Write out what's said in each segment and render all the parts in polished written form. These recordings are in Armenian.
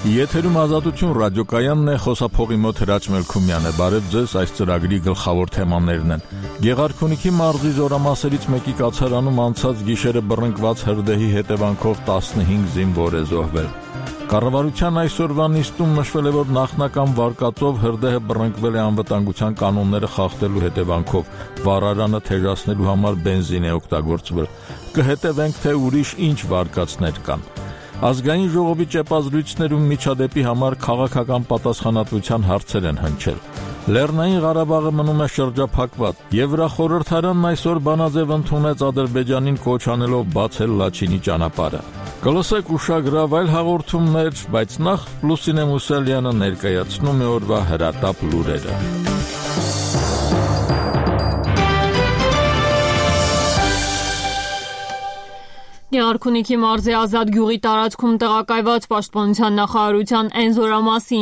Եթերում Ազատություն ռադիոկայանն է, խոսափողի մոտ Հրաչ Մելքումյան է։ Բարև ձեզ, այս ծրագրի գլխավոր թեմաներն են։ Գեղարքունիքի մարզի զորամասերից մեկի կացարանում անցած գիշերը բռնկված հրդեհի հետևանքով 15 զինվոր է զոհվել։ Կառավարության այսօրվա նիստում նշվել է, որ նախնական վարկածով հրդեհը բռնկվել է անվտանգության կանոնները խախտելու հետևանքով։ Վառարանը թեժացնելու համար բենզին է օգտագործվել։ Կհետևենք, թե ուրիշ ինչ վարկածներ կան։ Ազգային ժողովի ճեպազրույցներում միջադեպի համար քաղաքական պատասխանատվության հարցեր են հնչել։ Լեռնային Ղարաբաղը մնում է շրջափակված։ Եվրախորհրդարանն այսօր բանաձև ընդունեց Ադրբեջանին կոչ անելով բացել Լաչինի ճանապարհը։ Կլսեք ուշագրավ այլ հաղորդումներ, բայց նախ Լուսինե Մուսալյանը ներկայացնում է օրվա հրատապ լուրերը։ Գեղարքունիքի մարզի Ազատ գյուղի տարածքում տեղակայված Պաշտպանության նախարարության Էնզորամասի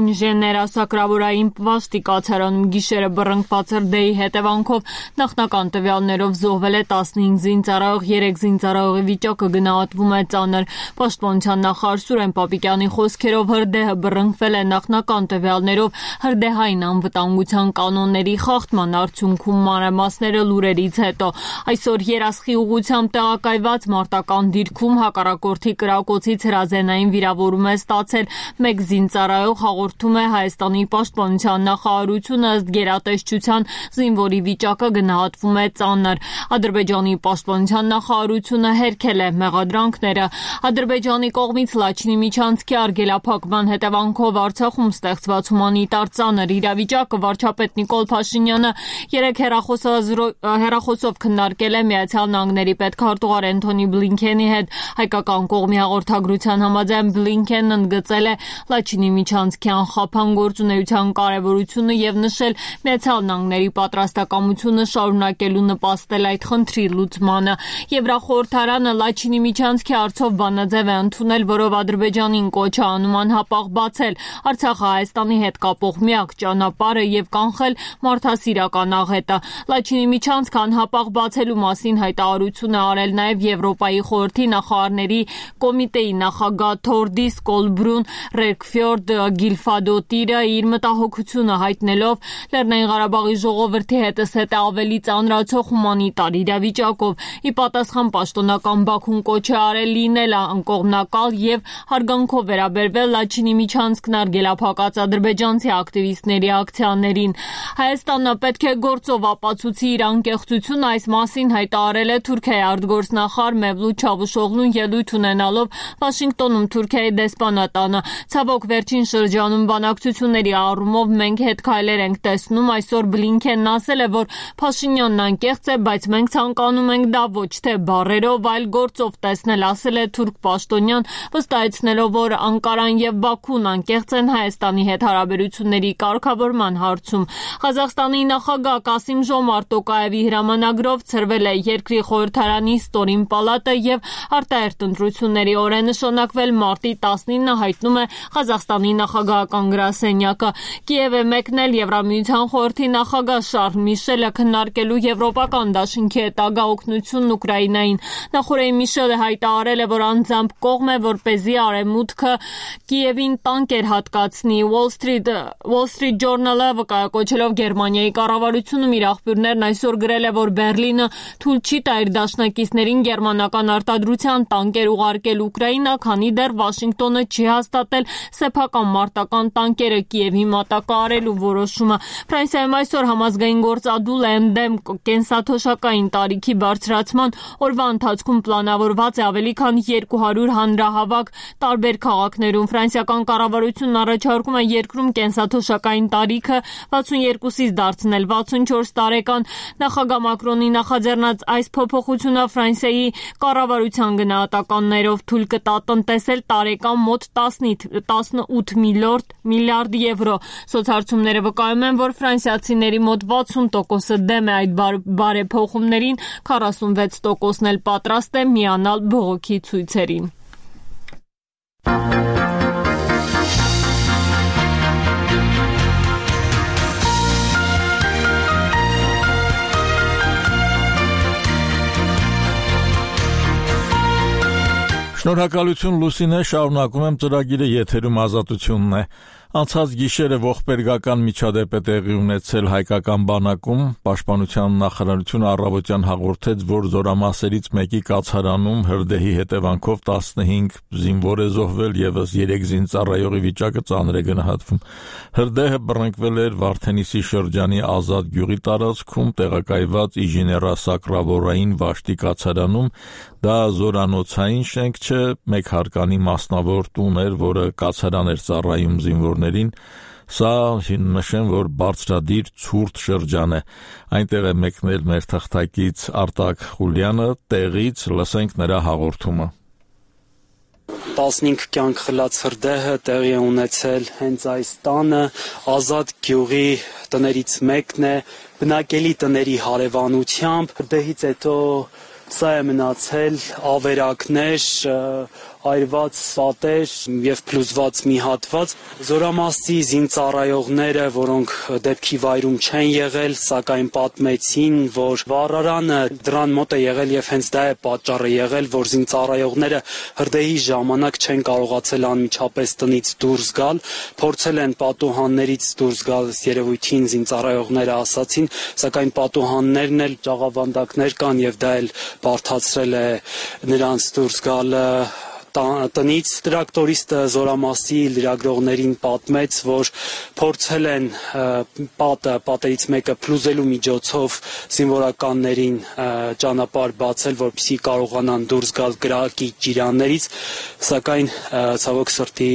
ինժեներասակրավորային պաշտի կացարանում գիշերը բռնկված հրդեհի հետևանքով նախնական տվյալներով զոհվել է 15 զինծառայող, 3 զինծառայողի վիճակը գնահատվում է ծանր։ Պաշտպանության նախարար Սուրեն Պապիկյանի խոսքերով հրդեհը բռնկվել է նախնական տվյալներով հրդեհային անվտանգության կանոնների խախտման արդյունքում մանրամասները լուրերից հետո։ Այսօր Երասխի ուղղությամբ կայված մարտական դիրքում հակառակորդի կրակոցից հրազենային վիրավորում է ստացել մեկ զինծառայող, հաղորդում է Հայաստանի պաշտպանության նախարարությունը, ըստ գերատեսչության զինվորի վիճակը գնահատվում է ծանր։ Ադրբեջանի պաշտպանության նախարարությունը հերքել է մեղադրանքները։ Ադրբեջանի կողմից Լաչինի միջանցքի արգելափակման հետևանքով Արցախում ստեղծված հումանիտար ծանր իրավիճակը վարչապետ Նիկոլ Փաշինյանը երեկ հեռախոսով քննարկել է Միացյալ Նահանգների պետքարտուղար Էնթոնի Բլինքենի հետ։ Հայկական կողմի հաղորդագրության համաձայն Բլինքենն ընդգծել է Լաչինի միջանցքի անխափան գործունեության կարևորությունը եւ նշել Միացյալ Նահանգների պատրաստակամությունը շարունակելու նպաստել այդ խնդրի լուծմանը։ Եվրախորհրդարանը Լաչինի միջանցքի հարցով բանաձև է ընդունել, որով Ադրբեջանին կոչ է անում անհապաղ բացել Արցախը Հայաստանի հետ կապող միակ ճանապարհը եւ կանխել մարդասիրական աղետը։ Լաչինի միջանցքը անհապաղ բացելու մասին հայտարարություն է արել նաև Եվրոպայի խորհրդի նախարարների կոմիտեի նախագահ Թորդիս Կոլբրուն Ռեկֆյորդ Գիլֆադոտիրը իր մտահոգությունը հայտնելով Լեռնային Ղարաբաղի ժողովրդի հետզհետե ավելի ծանրացող հումանիտար իրավիճակով։ Ի պատասխան պաշտոնական Բաքուն կոչ է արել լինել անկողմնակալ եւ հարգանքով վերաբերվել Լաչինի միջանցքն արգելափակած ադրբեջանցի ակտիվիստների ակցիաներին։ Հայաստանը պետք է գործով ապացուցի իր անկեղծությունը, այս մասին հայտարարել է Թուրքիայի արտգործնախարար Մևլութ Չավուշօղլուն ելույթ ունենալով Վաշինգտոնում Թուրքիայի դեսպանատանը։ Ցավոք վերջին շրջանում բանակցությունների առումով մենք հետ քայլեր ենք տեսնում։ Այսօր Բլինքենն ասել է, որ Փաշինյանն անկեղծ է, բայց մենք ցանկանում ենք դա ոչ թե բառերով, այլ գործով տեսնել, ասել է թուրք պաշտոնյան, վստահեցնելով, որ Անկարան եւ Բաքուն անկեղծ են Հայաստանի հետ հարաբերությունների կարգավորման հարցում։ Ղազախստանի նախագահ Կասիմ Ժոմարտ Տոկաևի հրամանագրով ցրվել է երկրի խորհրդարանի ստորին պալատը եւ արտահերթ ընտրությունների օր է նշանակվել մարտի 19-ը, հայտնում է Ղազախստանի նախագահական գրասենյակը։ Կիև է մեկնել Եվրամիության խորհրդի նախագահ Շարլ Միշելը քննարկելու եվրոպական դաշինքի հետագա օգնությունն Ուկրաինային։ Նախորդին Միշելը հայտարարել է, որ անձամբ կողմ է, որպեսզի Արևմուտքը Կիևին տանկեր հատկացնի։ Wall Street Journal-ը վկայակոչելով Գերմանիայի կառավարությունում իր աղբյուրներն այսօր գրել է, որ Բերլինը թույլ չի տա իր դաշնակիցներին գերմանական արտադրության տանկեր ուղարկել Ուկրաինա, քանի դեռ Վաշինգտոնը չի հաստատել սեփական մարտական տանկերը Կիևի մատակարարելու որոշումը։ Ֆրանսիայում այսօր համազգային գործադուլ է ընդդեմ կենսաթոշակային տարիքի բարձրացման։ Օրվա ընթացքում պլանավորված է ավելի քան 200 հանրահավաք տարբեր քաղաքներում։ Ֆրանսիական կառավարությունն առաջարկում է երկրում կենսաթոշակային տարիքը 62-ից դարձնել 64 տարեկան։ Նախագահ Մակրոնի նախաձեռնած այս փոփոխությունը Ֆրանսիայի կառավարության գնահատականներով թույլ կտա տնտեսել տարեկան մոտ 18 միլիարդ եվրո։ Սոցհարցումները վկայում են, որ ֆրանսիացիների մոտ 60%-ը դեմ է այդ բարեփոխումներին, 46%-ն էլ պատրաստ է միանալ բողոքի ցույցերին։ Շնորհակալություն Լուսինե, շարունակում եմ ծրագիրը, եթերում Ազատությունն է։ Անցած գիշերը ողբերգական միջադեպ է տեղի ունեցել հայկական բանակում, Պաշտպանության նախարարությունը առավոտյան հաղորդեց, որ զորամասերից մեկի կացարանում հրդեհի հետևանքով 15 զինվոր է զոհվել, եւս 3 զինծառայողի վիճակը ծանր է գնահատվում։ Հրդեհը բռնկվել էր Վարդենիսի շրջանի Ազատ գյուղի տարածքում տեղակայված ինժեներասակրավորային Վաշտի կացարանում, դա զորանոցային շենք չէ, մեկ հարկանի մասնավոր տուն էր, որը կացարան էր ծառայում զինվորներին, սա նշեմ, որ բարձրադիր ցուրտ շրջան է, այնտեղ է մեկնել մեր թղթակից Արտակ Խուլյանը, տեղից լսենք նրա հաղորդումը։ 15 կյանք խլած հրդեհը տեղի է ունեցել հենց այս տանը, Ազատ գյուղի տներից մեկն է, բնակելի տների հարևանությամբ, հրդեհից հետո սա է մնացել ավերակներ, այրված սատեր եւ փլուզված մի հատված։ Զորամասի զինծառայողները, որոնք դեպքի վայրում չեն եղել, սակայն պատմեցին, որ վառարանը դրան մոտ է եղել եւ հենց դա է պատճառը եղել, որ զինծառայողները հրդեհի ժամանակ չեն կարողացել անմիջապես տնից դուրս գալ, փորձել են պատուհաններից դուրս գալ, երևույթին զինծառայողները ասացին, սակայն պատուհաններն էլ ճաղավանդակներ կան եւ դա էլ բարդացրել է նրանց դուրս գալը տնից։ Տրակտորիստը զորամասի լրագրողներին պատմեց, որ փորձել են պատերից մեկը փլուզելու միջոցով զինվորականներին ճանապարհ բացել, որպեսզի կարողանան դուրս գալ կրակի ջիրաններից, սակայն ցավոք սրտի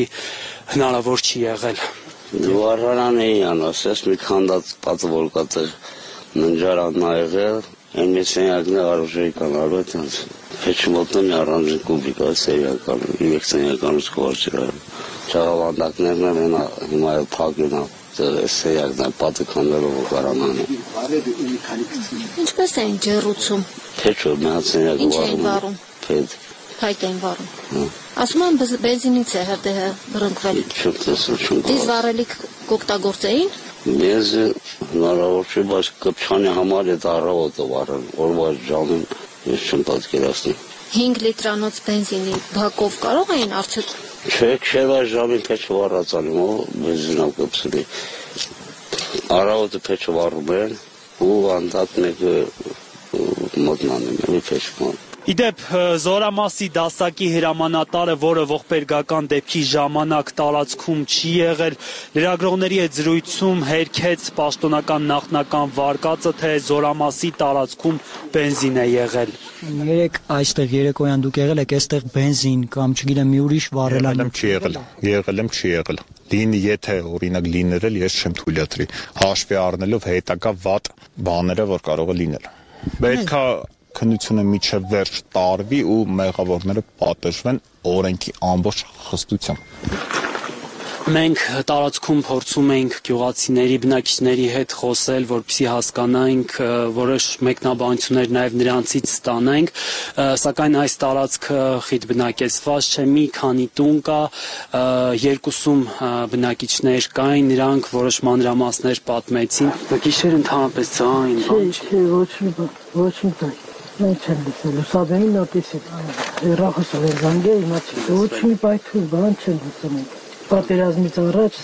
հնարավոր չի եղել։ Վառարանը անասես մի քանդած պատը որ կա ննջարանն ա եղել, այն մեծ սենյակն է արժեի կանալու այդպես Փեչմոտն առանձին կուբիկ է սերիական, ինվեկցիոնականից կողարչի ճաղավանդակներն են հիմա փակին է սերիակն է պատը քանդելով կարանան է։ Ինչպես էին ջեռուցում։ Փեչո մած սենյակը Ինչ էին վառում։ Փայտ էին վառում։ Ասում են բենզինից է հրդեհը բռնկվել։ Դիզ վառելիք կօգտագործեին։ Ես հնարավոր չէ, բայց կպչանի համար այդ առավոտը վառել, օրվա ժամին ես չեմ պատկերացնում։ 5 լիտրանոց բենզինի բակով կարող էին արդյոք։ Չէ, քեվա ժամին փեչը վառածալի, բենզինով կպցրի։ Առավոտը փեչը վառում են, ու անդադ մեկը մոտնանում է, փեչը։ Իդեպ զորամասի դասակի հրամանատարը, որը ողբերգական դեպքի ժամանակ տարածքում չի եղել, լրագրողների հետ զրույցում հերքեց պաշտոնական նախնական վարկածը, թե զորամասի տարածքում բենզին է եղել։ Երեք այստեղ երեկոյան դուք եղել եք այստեղ բենզին կամ չգիտեմ մի ուրիշ վառելան։ Եղել եմ, չի եղել։ Լինի, եթե օրինակ լինել, ես չեմ թույլատրի, հաշվի առնելով հետագա վատ բաները, որ կարող է լինել։ Պետք է քննությունը միջև վերջ տարվի ու մեղավորները պատժվեն օրենքի ամբողջ խստությամբ։ Մենք տարածքում փորձում ենք գյուղացիների բնակիչների հետ խոսել, որպեսզի հասկանանք, որոշ մեկնաբանություններ նաև նրանցից ստանանք, սակայն այս տարածքը խիտ բնակեցված չէ, մի քանի տուն կա, երկուսում բնակիչներ կային, նրանք որոշ մանրամասներ պատմեցին։ Գիշեր ընդհանրապես ձայն բան չէ, ոչ մի բան։ Մենք չենք լսել, ուսաբենի նոտիսի, հեռախոսը վերզանգե իմացի, ոչ մի պայթուն բան չենք լսել։ Պատերազմից առաջ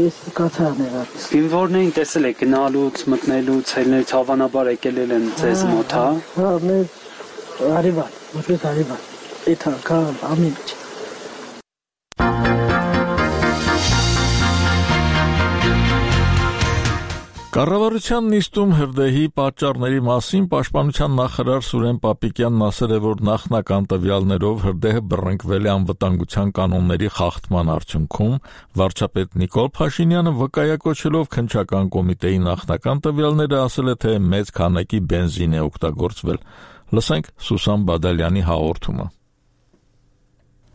ես կացարն եղար։ Զինվորներին տեսել եք գնալուց, մտնելուց, ելնելուց հավանաբար եկել են ձեզ մոտ, հա։ Հա, մեր արիվալ, որպես արիվալ, էթա, կան, ամեն ինչ։ Կառավարության նիստում հրդեհի պատճառների մասին պաշտպանության նախարար Սուրեն Պապիկյանն ասել է, որ նախնական տվյալներով հրդեհը բռնկվել է անվտանգության կանոնների խախտման արդյունքում, վարչապետ Նիկոլ Փաշինյանը վկայակոչելով քննչական կոմիտեի նախնական տվյալները ասել է, թե մեծ քանակի բենզին է օգտագործվել։ Լսենք Սուսան Բադալյանի հաղորդումը։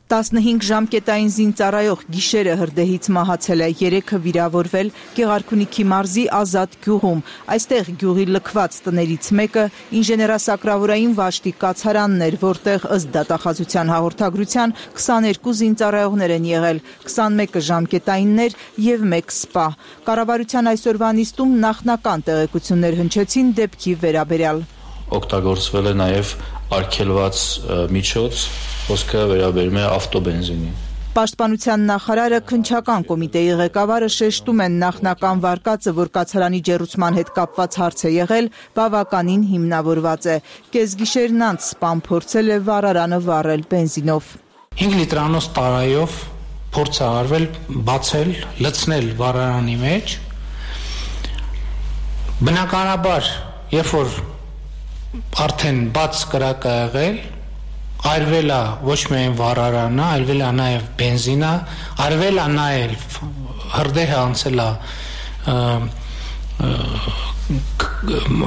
15 ժամկետային զինծառայող գիշերը հրդեհից մահացել է, 3-ը վիրավորվել Գեղարքունիքի մարզի Ազատ գյուղում։ Այստեղ գյուղի լքված տներից մեկը ինժեներասակրավորային Վաշտի կացարանն էր, որտեղ ըստ դատախազության հաղորդագրության 22 զինծառայողներ են եղել, 21-ը ժամկետայիններ եւ 1 սպա։ Կառավարության այսօրվա նիստում նախնական տեղեկություններ հնչեցին դեպքի վերաբերյալ։ Օգտագործվել է նաև արգելված միջոց, խոսքը վերաբերում է ավտոբենզինին։ Պաշտպանության նախարարը քննչական կոմիտեի ղեկավարը շեշտում են նախնական վարկածը, որ կացարանի ջեռուցման հետ կապված հարց է եղել, բավականին հիմնավորված է։ Կեսգիշերն անց սպան փորձել է վառարանը վառել բենզինով։ 5 լիտրանոց տարայով փորձ է արվել բացել, լցնել վառարանի մեջ։ Բնականաբար, երբ որ արդեն բաց կրակ է եղել, արվել է ոչ միայն վառարանը, արվել է նաև բենզինը, արվել է նաև հրդեհը անցել է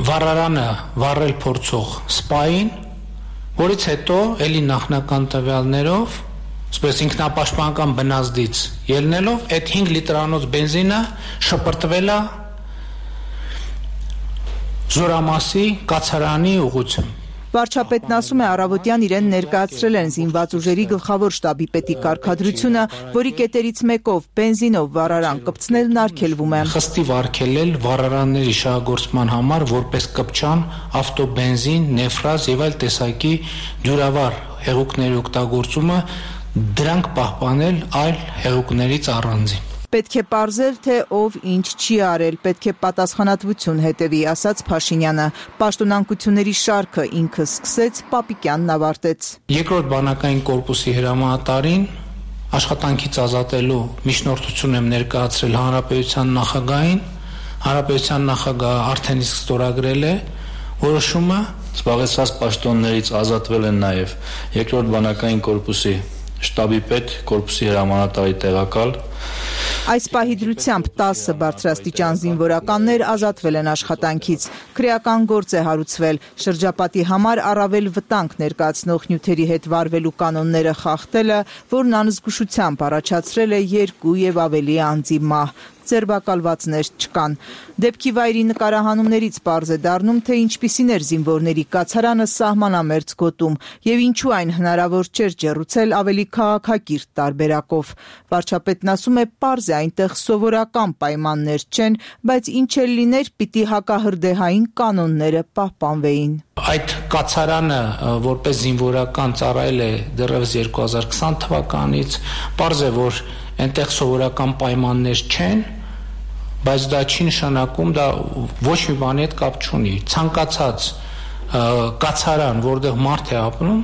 վառարանը վառել փորձող սպային, որից հետո էլի նախնական տվյալներով, այսպես ինքնապաշտպանական բնազդից ելնելով, այդ 5 լիտրանոց բենզինը շպրտվել է Զորամասի կացարանի ուղղությամբ։ Վարչապետն ասում է, առավոտյան իրեն ներկայացրել են զինված ուժերի գլխավոր շտաբի պետի կարգադրությունը, որի կետերից մեկով բենզինով վառարան կպցնելն արգելվում է։ Խստիվ արգելել վառարանների շահագործման համար որպես կպչան ավտոբենզին, նեֆրազ եւ այլ տեսակի դյուրավառ հեղուկների օգտագործումը, դրանք պահպանել այլ հեղուկներից առանձին։ Պետք է պարզել, թե ով ինչ չի արել, պետք է պատասխանատվություն հետևի, ասաց Փաշինյանը։ Պաշտոնանկությունների շարքը ինքը սկսեց, Պապիկյանն ավարտեց։ Երկրորդ բանակային կորպուսի հրամանատարին աշխատանքից ազատելու միջնորդություն եմ ներկայացրել հանրապետության նախագահին։ Հանրապետության նախագահը արդեն իսկ ստորագրել է որոշումը։ Զբաղեցրած պաշտոններից ազատվել են նաև երկրորդ բանակային կորպուսի շտաբի պետ, կորպուսի հրամանատարի տեղակալ։ Այս պահի դրությամբ 10 բարձրաստիճան զինվորականներ ազատվել են աշխատանքից։ Քրեական գործ է հարուցվել։ Շրջապատի համար առավել վտանգ ներկայացնող նյութերի հետ վարվելու կանոնները խախտելը, որն անզգուշությամբ առաջացրել է 2 եւ ավելի անձի մահ։ Ձերբակալվածներ չկան։ Դեպքի վայրի նկարահանումներից պարզ է դառնում, թե ինչպիսին էր զինվորների կացարանը սահմանամերձ գոտում եւ ինչու այն հնարավոր չէր ջեռուցել ավելի քաղաքակիրթ տարբերակով։ Վարչապետն ասում է, պարզ է այնտեղ սովորական պայմաններ չեն, բայց ինչ էլ լիներ, պիտի հակահրդեհային կանոնները պահպանվեին։ Այդ կացարանը որպես զինվորական ծառայել է դեռևս 2020 թվականից, պարզ է, որ այնտեղ սովորական պայմաններ չեն, բայց դա չի նշանակում, դա ոչ մի բանի հետ կապ չունի։ Ցանկացած կացարան, որտեղ մարդ է ապրում,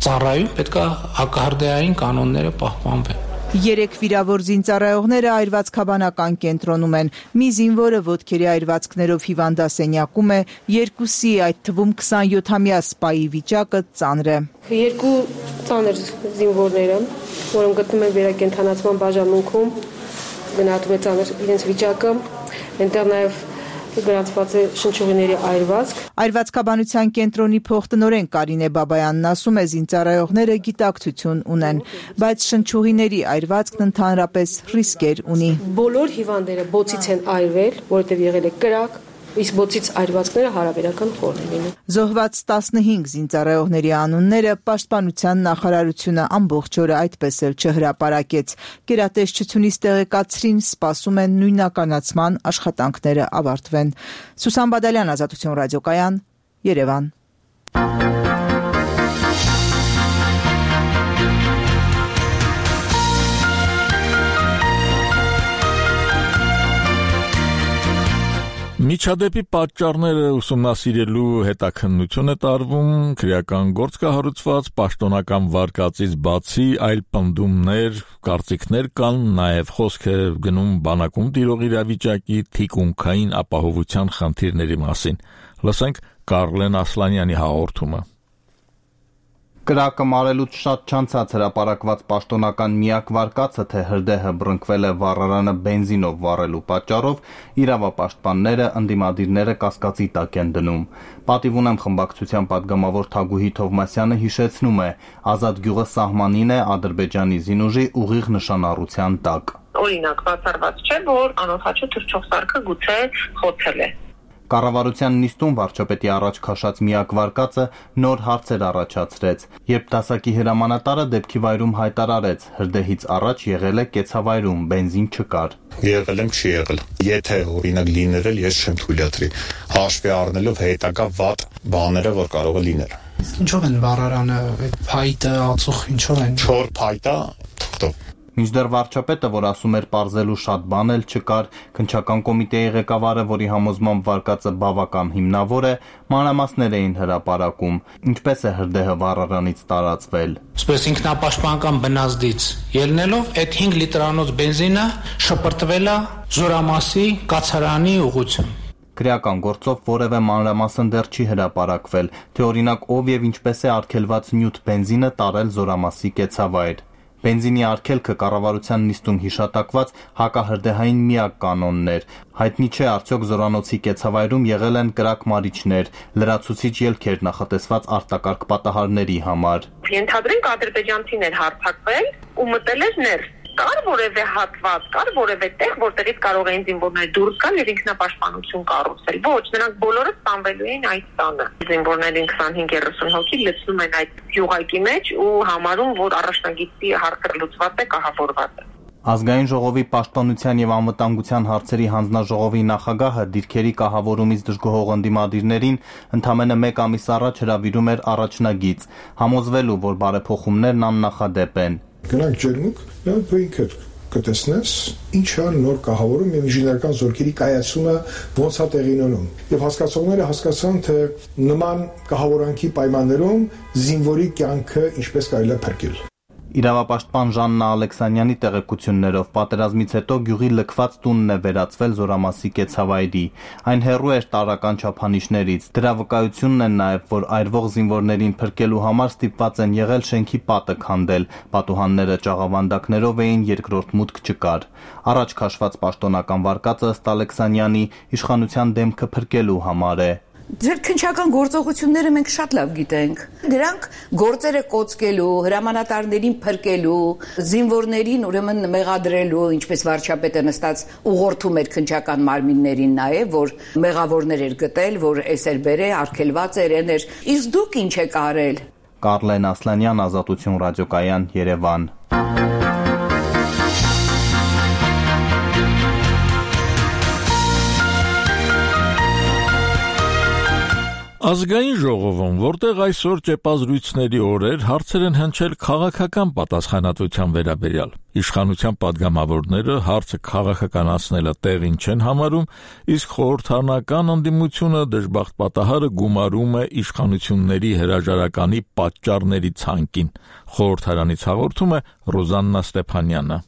ծառայում, պետք է հակահրդեհային կանոնները պահպանվեն։ 3 վիրավոր զինծառայողները այրվածքաբանական կենտրոնում են։ Մի զինվորը ոտքերի այրվածքներով հիվանդասենյակում է, 2-ի, այդ թվում 27-ամյա սպայի վիճակը ծանր է։ 2 ծանր զինվորները, որոնք գտնում են վերակենդանացման բաժանմունքում, գնահատում է ծանր իրենց վիճակը, այնտեղ նաև գրանցված է շնչուղիների այրվածք։ Այրվածքաբանության կենտրոնի փոխտնօրեն Կարինե Բաբայանն ասում է, զինծառայողները գիտակցություն ունեն, բայց շնչուղիների այրվածքն ընդհանրապես ռիսկեր ունի։ Բոլոր հիվանդները բոցից են այրվել, որովհետև եղել է կրակ, իսկ բոցից այրվածքները հարաբերական խոր են լինում։ Զոհված 15 զինծառայողների անունները Պաշտպանության նախարարությունը ամբողջ օրը այդպես էլ չհրապարակեց։ Գերատեսչությունից տեղեկացրին, սպասում են նույնականացման աշխատանքները ավարտվեն։ Սուսան Բադալյան, Ազատություն ռադիոկայան, Երևան։ Միջադեպի պատճառները ուսումնասիրելու հետաքննություն է տարվում, քրեական գործ կհարուցված, պաշտոնական վարկածից բացի այլ պնդումներ, կարծիքներ կան, նաև խոսք է գնում բանակում տիրող իրավիճակի, թիկունքային ապահովության խնդիրների մասին։ Լսենք Կարլեն Ասլանյանի հաղորդումը։ Կրակը մարելուց շատ չանցած հրապարակված պաշտոնական միակ վարկածը, թե հրդեհը բռնկվել է վառարանը բենզինով վառելու պատճառով, իրավապաշտպանները, ընդդիմադիրները կասկածի տակ են դնում։ Պատիվ ունեմ խմբակցության պատգամավոր Թագուհի Թովմասյանը հիշեցնում է, Ազատ գյուղը սահմանին է Ադրբեջանի զինուժի ուղիղ նշանառության տակ։ Օրինակ, բացառված չէ, որ անօթաչու թռչող սարքը գուցե խոցել է։ Կառավարության նիստում վարչապետի առաջ քաշած միակ վարկածը նոր հարցեր առաջացրեց, երբ դասակի հրամանատարը դեպքի վայրում հայտարարեց, հրդեհից առաջ եղել է կեցավայրում, բենզին չկար։ Եղել եմ, չի եղել։ Եթե օրինակ լիներ, ես չեմ թույլատրի, հաշվի առնելով հետագա վատ բաները, որ կարող է լինել։ Ինչով են վառարանը, այդ փայտը, ածուխ, ինչով են։ 4 փայտա թղթով։ Մինչդեռ վարչապետը, որ ասում էր պարզելու շատ բան էլ չկար, քննչական կոմիտեի ղեկավարը, որի համոզմամբ վարկածը բավական հիմնավոր է, մանրամասներ էին հրապարակում, ինչպես է հրդեհը վառարանից տարածվել։ Սպես ինքնապաշտպանական բնազդից ելնելով այդ 5 լիտրանոց բենզինը շպրտվել է Զորամասի կացարանի ուղղությամբ։ Քրեական գործով որևէ մանրամասն դեռ չի հրապարակվել, թե օրինակ ով եւ ինչպես է արգելված նյութ բենզինը տարել Զորամասի կեցավայր։ Բենզինի արգելքը կառավարության նիստում հիշատակված հակահրդեհային միակ կանոնն էր։ Հայտնի չէ արդյոք Զորանոցի կեցավայրում եղել են կրակ մարիչներ, լրացուցիչ ելքեր նախատեսված արտակարգ պատահարների համար։ Ենթադրենք ադրբեջանցին էր հարձակվել ու մտել էր ներս։ Կար որևէ հատված, կար որևէ տեղ, որտեղից կարող էին զինվորներ դուրս գալ եւ ինքնապաշտպանություն կառուցել։ Ոչ, նրանք բոլորը ստանվելու էին այդ տանը։ Զինվորներին 25-30 հոգի լցնում են այդ յուղակի մեջ ու համարում, որ առաջնագիտի հարցը լուծված է, կահավորված է։ Ազգային ժողովի պաշտպանության եւ անվտանգության հարցերի հանձնաժողովի նախագահը դիրքերի կահավորումից դժգոհող ընդդիմադիրներին ընդամենը 1 ամիս առաջ հրավիրում էր առաջնագիծ, համոզվելու, որ բարեփոխումներն աննախադեպ են։ Գնանք ջերմուկ, դու ինքդ կտեսնես ինչ է նոր կահավորում եւ ինժեներական զորքերի կայացումը ոնց է տեղի ունենում։ Եվ հասկացողները հասկացան, թե նման կահավորանքի պայմաններում զինվորի կյանքը ինչպես կարելի է փրկել։ Իրավապաշտպան Ժաննա Ալեքսանյանի տեղեկություններով պատերազմից հետո գյուղի լքված տունն է վերածվել Զորամասի կեցավայրի։ Այն հեռու էր տարրական չափանիշներից։ Դրա վկայությունն է նաև, որ այրվող զինվորներին փրկելու համար ստիպված են եղել շենքի պատը քանդել։ Պատուհանները ճաղավանդակներով էին, երկրորդ մուտք չկար։ Առաջ քաշված պաշտոնական վարկածը ըստ Ալեքսանյանի իշխանության դեմքը փրկելու համար է։ Ձեր քննչական գործողությունները մենք շատ լավ գիտենք։ Դրանք գործերը կոծկելու, հրամանատարներին փրկելու, զինվորներին ուրեմն մեղադրելու, ինչպես վարչապետը նստած ուղղորդում էր քննչական մարմիններին նաև, որ մեղավորներ էր գտել, որ էսեր բերե, արգելված էր, էներ։ Իսկ դուք ինչ եք արել։ Կարլեն Ասլանյան, Ազատություն ռադիոկայան, Երևան։ Ազգային ժողովում, որտեղ այսօր ճեպազրույցների օրեր հարցեր են հնչել քաղաքական պատասխանատվության վերաբերյալ։ Իշխանության падգամավորները հարցը քաղաքականացնելը տեղին չեն համարում, իսկ խորհրդարանական ընդդիմությունը դժբախտ պատահարը գումարում է իշխանությունների հրաժարականի պատճառների ցանկին։ Խորհրդարանից հաղորդում է Ռոզաննա Ստեփանյանը։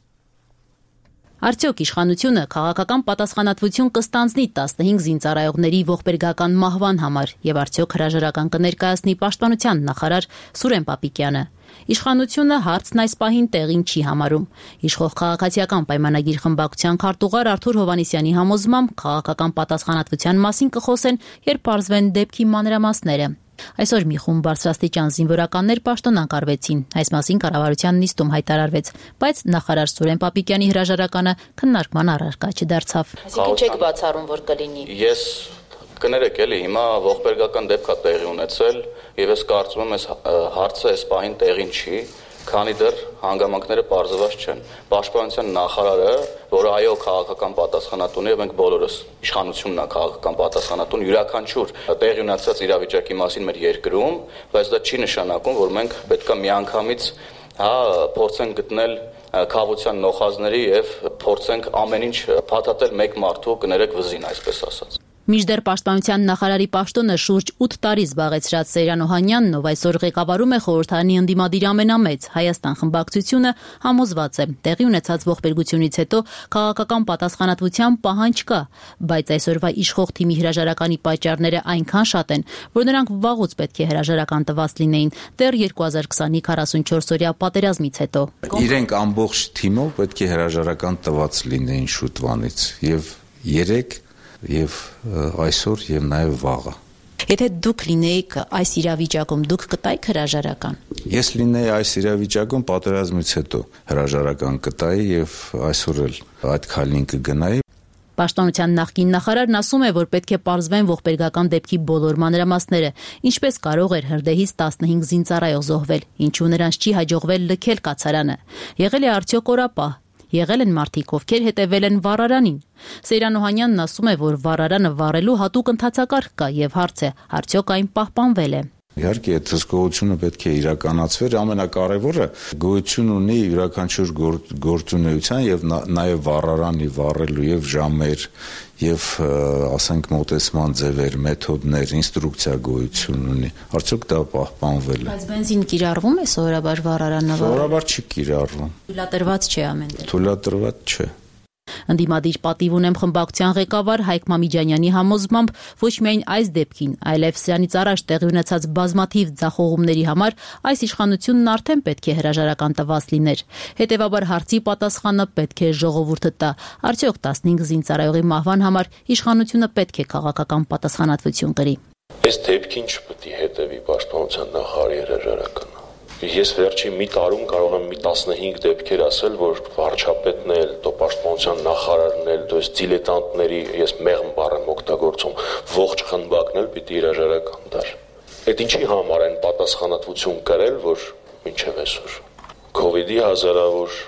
Արդյոք իշխանությունը քաղաքական պատասխանատվություն կստանձնի 15 զինծառայողների ողբերգական մահվան համար եւ արդյոք հրաժարական կներկայացնի պաշտպանության նախարար Սուրեն Պապիկյանը։ Իշխանությունը հարցն այս պահին տեղին չի համարում։ Իշխող քաղաքացիական պայմանագիր խմբակցության քարտուղար Արթուր Հովհաննիսյանի համոզմամբ քաղաքական պատասխանատվության մասին կխոսեն, երբ բարձվեն դեպքի մանրամասները։ Այսօր մի խումբ բարձրաստիճան զինվորականներ պաշտոնակարգվեցին։ Այս մասին կառավարության նիստում հայտարարվեց, բայց նախարար Սուրեն Պապիկյանի հրաժարականը քննարկման առարկա չդարձավ։ Այսինքն չեք բացառում, որ կլինի։ Ես կներեք էլի, հիմա ողբերգական դեպք է տեղի ունեցել եւ ես կարծում եմ այս հարցը այս պահին տեղին չի, քանի դեռ հանգամանքները պարզված չեն։ Պաշտպանության նախարարը, որը այո քաղաքական պատասխանատուն է, եւ մենք բոլորս իշխանությունն է քաղաքական պատասխանատուն, յուրաքանչյուր տեղի ունեցած իրավիճակի մասին մեր երկրում, բայց դա չի նշանակում, որ մենք պետքա միանգամից փորձենք գտնել քավության նոխազների եւ փորձենք ամեն ինչ փաթաթել մեկ մարդու կներեք վզին, այսպես ասած։ Մինչդեռ պաշտպանության նախարարի պաշտոնը շուրջ 8 տարի զբաղեցրած Սեյրան Օհանյանն, ով այսօր ղեկավարում է խորհրդարանի ընդդիմադիր ամենամեծ Հայաստան խմբակցությունը, համոզված է, տեղի ունեցած ողբերգությունից հետո քաղաքական պատասխանատվության պահանջ կա, բայց այսօրվա իշխող թիմի հրաժարականի պատճառները այնքան շատ են, որ նրանք վաղուց պետք է հրաժարական տված լինեին, դեռ 2020-ի 44-օրյա պատերազմից հետո։ Իրենք ամբողջ թիմով պետք է հրաժարական տված լինեին շուտվանից եւ 3 եւ այսօր եւ նաեւ վաղը։ Եթե դուք լինեիք այս իրավիճակում, դուք կտայիք հրաժարական։ Ես լինեի այս իրավիճակում պատերազմից հետո հրաժարական կտայի եւ այսօր էլ այդ քայլին կգնայի։ Պաշտպանության նախկին նախարարն ասում է, որ պետք է պարզվեն ողբերգական դեպքի բոլոր մանրամասները, ինչպես կարող էր հրդեհից 15 զինծառայող զոհվել, ինչու նրանց չի հաջողվել լքել կացարանը։ Եղել է արդյոք օրապահ։ Եղել են մարդիկ, ովքեր հետևել են վառարանին։ Սեյրան Օհանյանն ասում է, որ վառարանը վառելու հատուկ ընթացակարգ կա եւ հարց է, արդյոք այն պահպանվել է։ Իհարկե, այդ հսկողությունը պետք է իրականացվեր, ամենակարևորը գոյություն ունի յուրաքանչյուր գործունեության եւ նաեւ վառարանի վառելու եւ ժամեր եւ ասենք մոտեցման ձևեր, մեթոդներ, ինստրուկցիա գոյություն ունի։ Արդյոք դա պահպանվել է։ Բայց բենզին կիրառվում է սովորաբար վառարանը։ Սովորաբար չի կիրառվում։ Թույլատրված չէ ամեն տեղ։ Թույլատրված չէ։ Ընդդիմադիր պատիվ ունեմ խմբակցության ղեկավար Հայկ Մամիջանյանի համոզմամբ ոչ միայն այս դեպքին, այլև սրանից առաջ տեղի ունեցած բազմաթիվ ձախողումների համար այս իշխանությունն արդեն պետք է հրաժարական տված լիներ։ Հետևաբար հարցի պատասխանը պետք է ժողովուրդը տա։ Արդյոք 15 զինծառայողի մահվան համար իշխանությունը պետք է քաղաքական պատասխանատվություն կրի։ Այս դեպքին չպետք է հետևի պաշտպանության նախարարի հրաժարականը։ Ես վերջին մի տարում կարող եմ մի 15 դեպքեր ասել, որ վարչապետն էլ, դո պաշտպանության նախարարն էլ, դո դիլետանտների, ես մեղմ բառ եմ օգտագործում, ողջ խմբակն էլ պիտի հրաժարական տար։ Այդ ինչի համար են պատասխանատվություն կրել, որ մինչև այսօր COVID-ի հազարավոր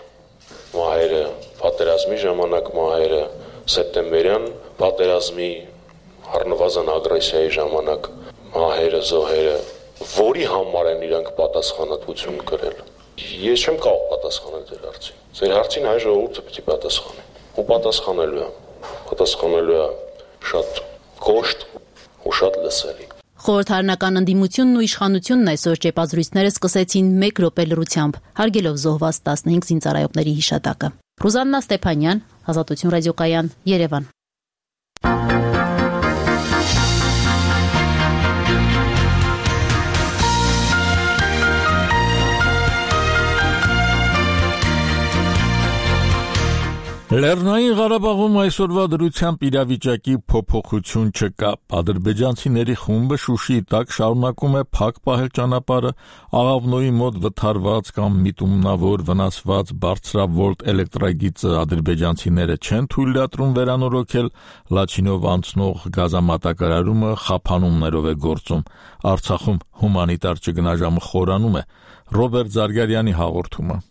մահերը, պատերազմի ժամանակ մահերը, սեպտեմբերյան պատերազմի առնվազն ագրեսիայի ժամանակ մահերը, զոհերը, որի համար են իրանք պատասխանատվություն կրել։ Ես չեմ կարող պատասխանել ձեր հարցին։ Ձեր հարցին հայ ժողովուրդը պիտի պատասխանի։ Ու պատասխանելու է շատ կոշտ ու շատ լսելի։ Խորհրդարանական ընդդիմությունն ու իշխանությունն այսօր ճեպազրույցները սկսեցին 1 րոպե լռությամբ, հարգելով զոհված 15 զինծառայողների հիշատակը։ Ռուզաննա Ստեփանյան, Ազատություն ռադիոկայան, Երևան։ Լեռնային Ղարաբաղում այսօրվա դրությամբ իրավիճակի փոփոխություն չկա։ Ադրբեջանցիների խումբը Շուշիի տակ շարունակում է փակ պահել ճանապարհը, Աղավնոյի մոտ վթարված կամ միտումնավոր վնասված բարձրավոլտ էլեկտրագիծը ադրբեջանցիները չեն թույլատրում վերանորոգել, Լաչինով անցնող գազամատակարարումը խափանումներով է գործում։ Արցախում հումանիտար ճգնաժամը խորանում է։ Ռոբերտ Զարգարյանի հաղորդումը։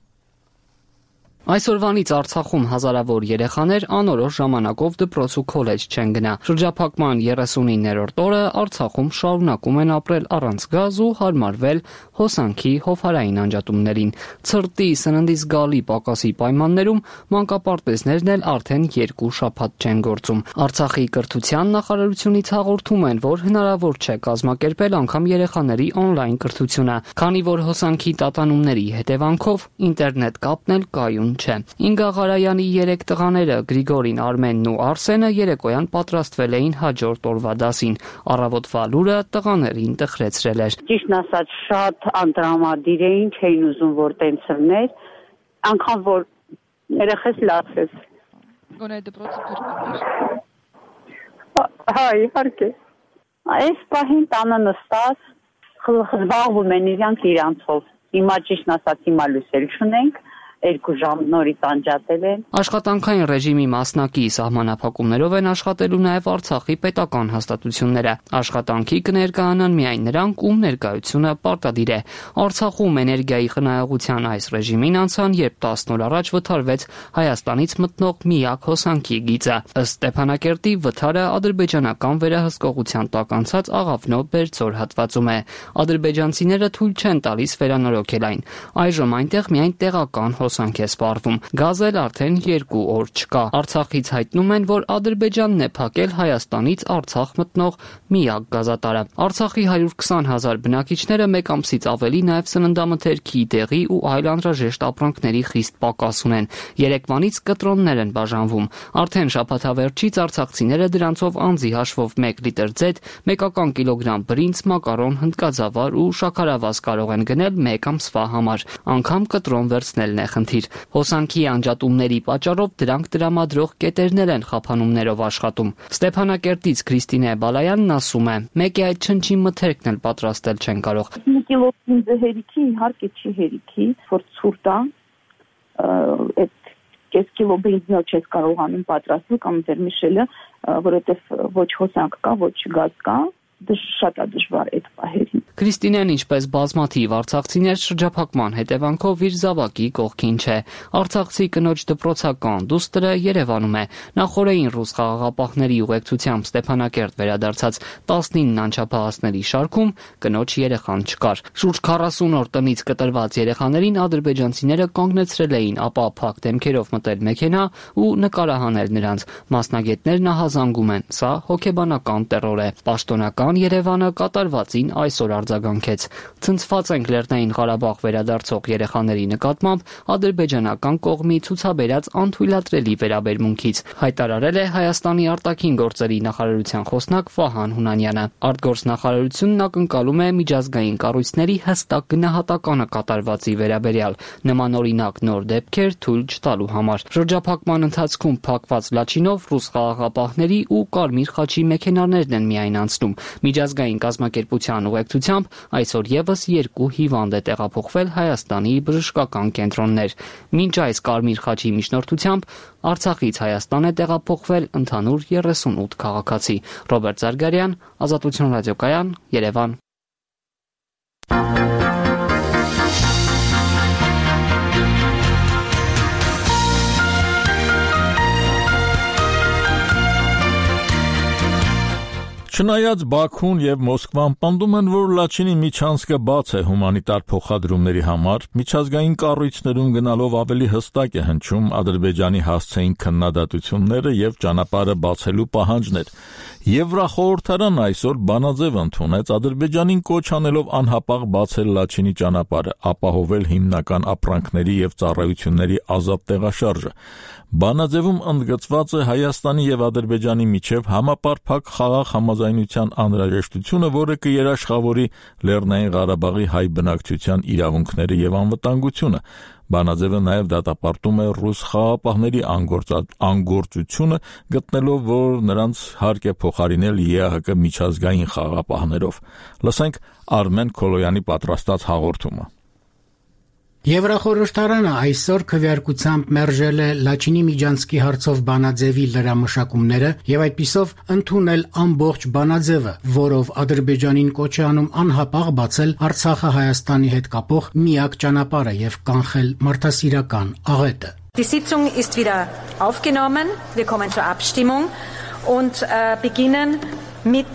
Այսօրվանից Արցախում հազարավոր երեխաներ անորոշ ժամանակով դպրոց ու քոլեջ չեն գնա։ Շրջափակման 39-րդ օրը Արցախում շարունակում են ապրել առանց գազ ու հարմարվել հոսանքի հովհարային անջատումներին։ Ցրտի սննդի զգալի պակասի պայմաններում մանկապարտեզներն էլ արդեն 2 շաբաթ չեն գործում։ Արցախի կրթության նախարարությունից հաղորդում են, որ հնարավոր չէ կազմակերպել անգամ երեխաների օնլայն կրթությունը, քանի որ հոսանքի տատանումների հետևանքով ինտերնետ կապն էլ կայուն չէ։ Ինգա Ղարայանի 3 տղաները Գրիգորին, Արմենն ու Արսենը երեկոյան պատրաստվել էին հաջորդ օրվա դասին։ Առավոտվա լուրը տղաներին տխրեցրել էր։ Ճիշտն ասած շատ անտրամադիր էին, չէին ուզում որ տենց լիներ, անգամ որ երեխես լացես։ Գոնե դպրոցը փրկում էր։ Հա, իհարկե։ Այս պահին տանը նստած զբաղվում են իրանցով։ Հիմա ճիշտն ասած հիմա լույսեր չունենք։ 2 ժամ նորից անջատել են։ Աշխատանքային ռեժիմի մասնակի սահմանափակումներով են աշխատելու նաև Արցախի պետական հաստատությունները։ Աշխատանքի կներկայանան միայն նրանք, ում ներկայությունը պարտադիր է։ Արցախում էներգիայի խնայողության այս ռեժիմին անցան, երբ 10 օր առաջ վթարվեց Հայաստանից մտնող միակ հոսանքի գիծը։ Ըստ Ստեփանակերտի վթարը ադրբեջանական վերահսկողության տակ անցած Աղավնո Բերձոր հատվածում է։ Ադրբեջանցիները թույլ չեն տալիս վերանորոգել այն։ Այժմ այնտեղ միայն տեղական հոսանք է սպառվում։ Գազ էլ արդեն 2 օր չկա։ Արցախից հայտնում են, որ Ադրբեջանն է փակել Հայաստանից Արցախ մտնող միակ գազատարը։ Արցախի 120,000 բնակիչները մեկ ամսից ավելի նաև սննդամթերքի, դեղի ու այլ անհրաժեշտ ապրանքների խիստ պակաս ունեն։ Երեկվանից կտրոններ են բաժանվում։ Արդեն շաբաթավերջից արցախցիները դրանցով անձի հաշվով 1 լիտր ձեթ, մեկական կիլոգրամ բրինձ, մակարոն, հնդկածավար ու շաքարավազ կարող են գնել մեկ ամսվա համար։ Անգամ կտրոն վերցնելն է խնդիր։ Հոսանքի անջատումների պատճառով դրանք տրամադրող կետերներ են խափանումներով աշխատում։ Ստեփանակերտից Քրիստինե Բալայանն ասում է. «Մեկ է այդ չնչին մթերքն էլ պատրաստել չեն կարող»։ Մի կիլո բինձը հերիքի, իհարկե չի հերիքի, որ ցուրտ է, այդ կես կիլո բինձը չես կարողանում պատրաստել կամ վերմիշելը, որովհետև ոչ հոսանք կա, ոչ գազ կա, շատ է դժվար այդ պահերին։ Քրիստինեն, ինչպես բազմաթիվ արցախցիներ, շրջափակման հետևանքով իր զավակի կողքին չէ։ Արցախցի կնոջ դպրոցական դուստրը Երևանում է։ Նախորդին ռուս խաղաղապահների ուղեկցությամբ Ստեփանակերտ վերադարձած 19 անչափահասների շարքում կնոջ երեխան չկար։ Շուրջ 40 օր տնից կտրված երեխաներին ադրբեջանցիները կանգնեցրել էին, ապա փակ դեմքերով մտել մեքենա ու նկարահանել նրանց։ Մասնագետներն ահազանգում են, սա հոգեբանական տեռոր է։ Պաշտոնական Երևանը կատարվածին այսօր արձագանքեց։ Ցնցված ենք Լեռնային Ղարաբաղ վերադարձող երեխաների նկատմամբ ադրբեջանական կողմի ցուցաբերած անթույլատրելի վերաբերմունքից, հայտարարել է Հայաստանի արտաքին գործերի նախարարության խոսնակ Վահան Հունանյանը։ Արտգործնախարարությունն ակնկալում է միջազգային կառույցների հստակ գնահատականը կատարվածի վերաբերյալ, նմանօրինակ նոր դեպքեր թույլ չտալու համար։ Շրջափակման ընթացքում փակված Լաչինով ռուս խաղաղապահների ու Կարմիր խաչի մեքենաներն են միայն անցնում։ Միջազգային կազմակերպության ուղեկցությամբ այսօր եւս 2 հիվանդ է տեղափոխվել Հայաստանի բժշկական կենտրոններ։ Մինչ այս Կարմիր խաչի միջնորդությամբ Արցախից Հայաստան է տեղափոխվել ընդհանուր 38 քաղաքացի։ Ռոբերտ Զարգարյան, Ազատություն ռադիոկայան, Երևան։ Չնայած Բաքուն եւ Մոսկվան պնդում են, որ Լաչինի միջանցքը բաց է հումանիտար փոխադրումների համար, միջազգային կառույցներում գնալով ավելի հստակ է հնչում Ադրբեջանի հասցեին քննադատությունները եւ ճանապարհը բացելու պահանջներ։ Եվրախորհրդարանն այսօր բանաձև ընդունեց Ադրբեջանին կոչ անելով անհապաղ բացել Լաչինի ճանապարհը, ապահովել հիմնական ապրանքների եւ ծառայությունների ազատ տեղաշարժը։ Բանաձևում ընդգծված է Հայաստանի եւ Ադրբեջանի միջև համապարփակ խաղաղ համաձայնության անհրաժեշտությունը, որը կերաշխավորի Լեռնային Ղարաբաղի հայ բնակչության իրավունքները եւ անվտանգությունը։ Բանաձևը նաև դատապարտում է ռուս խաղաղապահների անգործությունը, գտնելով, որ նրանց հարկ է փոխարինել ԵԱՀԿ միջազգային խաղաղապահներով։ Լսենք Արմեն Քոլոյանի պատրաստած հաղորդումը։ Եվրախորհրդարանը այսօր քվեարկությամբ մերժել է Լաչինի միջանցքի հարցով բանաձևի լրամշակումները եւ այդպիսով ընդունել ամբողջ բանաձևը, որով Ադրբեջանին կոչ է անում անհապաղ բացել Արցախը Հայաստանի հետ կապող միակ ճանապարհը եւ կանխել մարդասիրական աղետը։ Die Sitzung ist wieder aufgenommen. Wir kommen zur Abstimmung und beginnen mit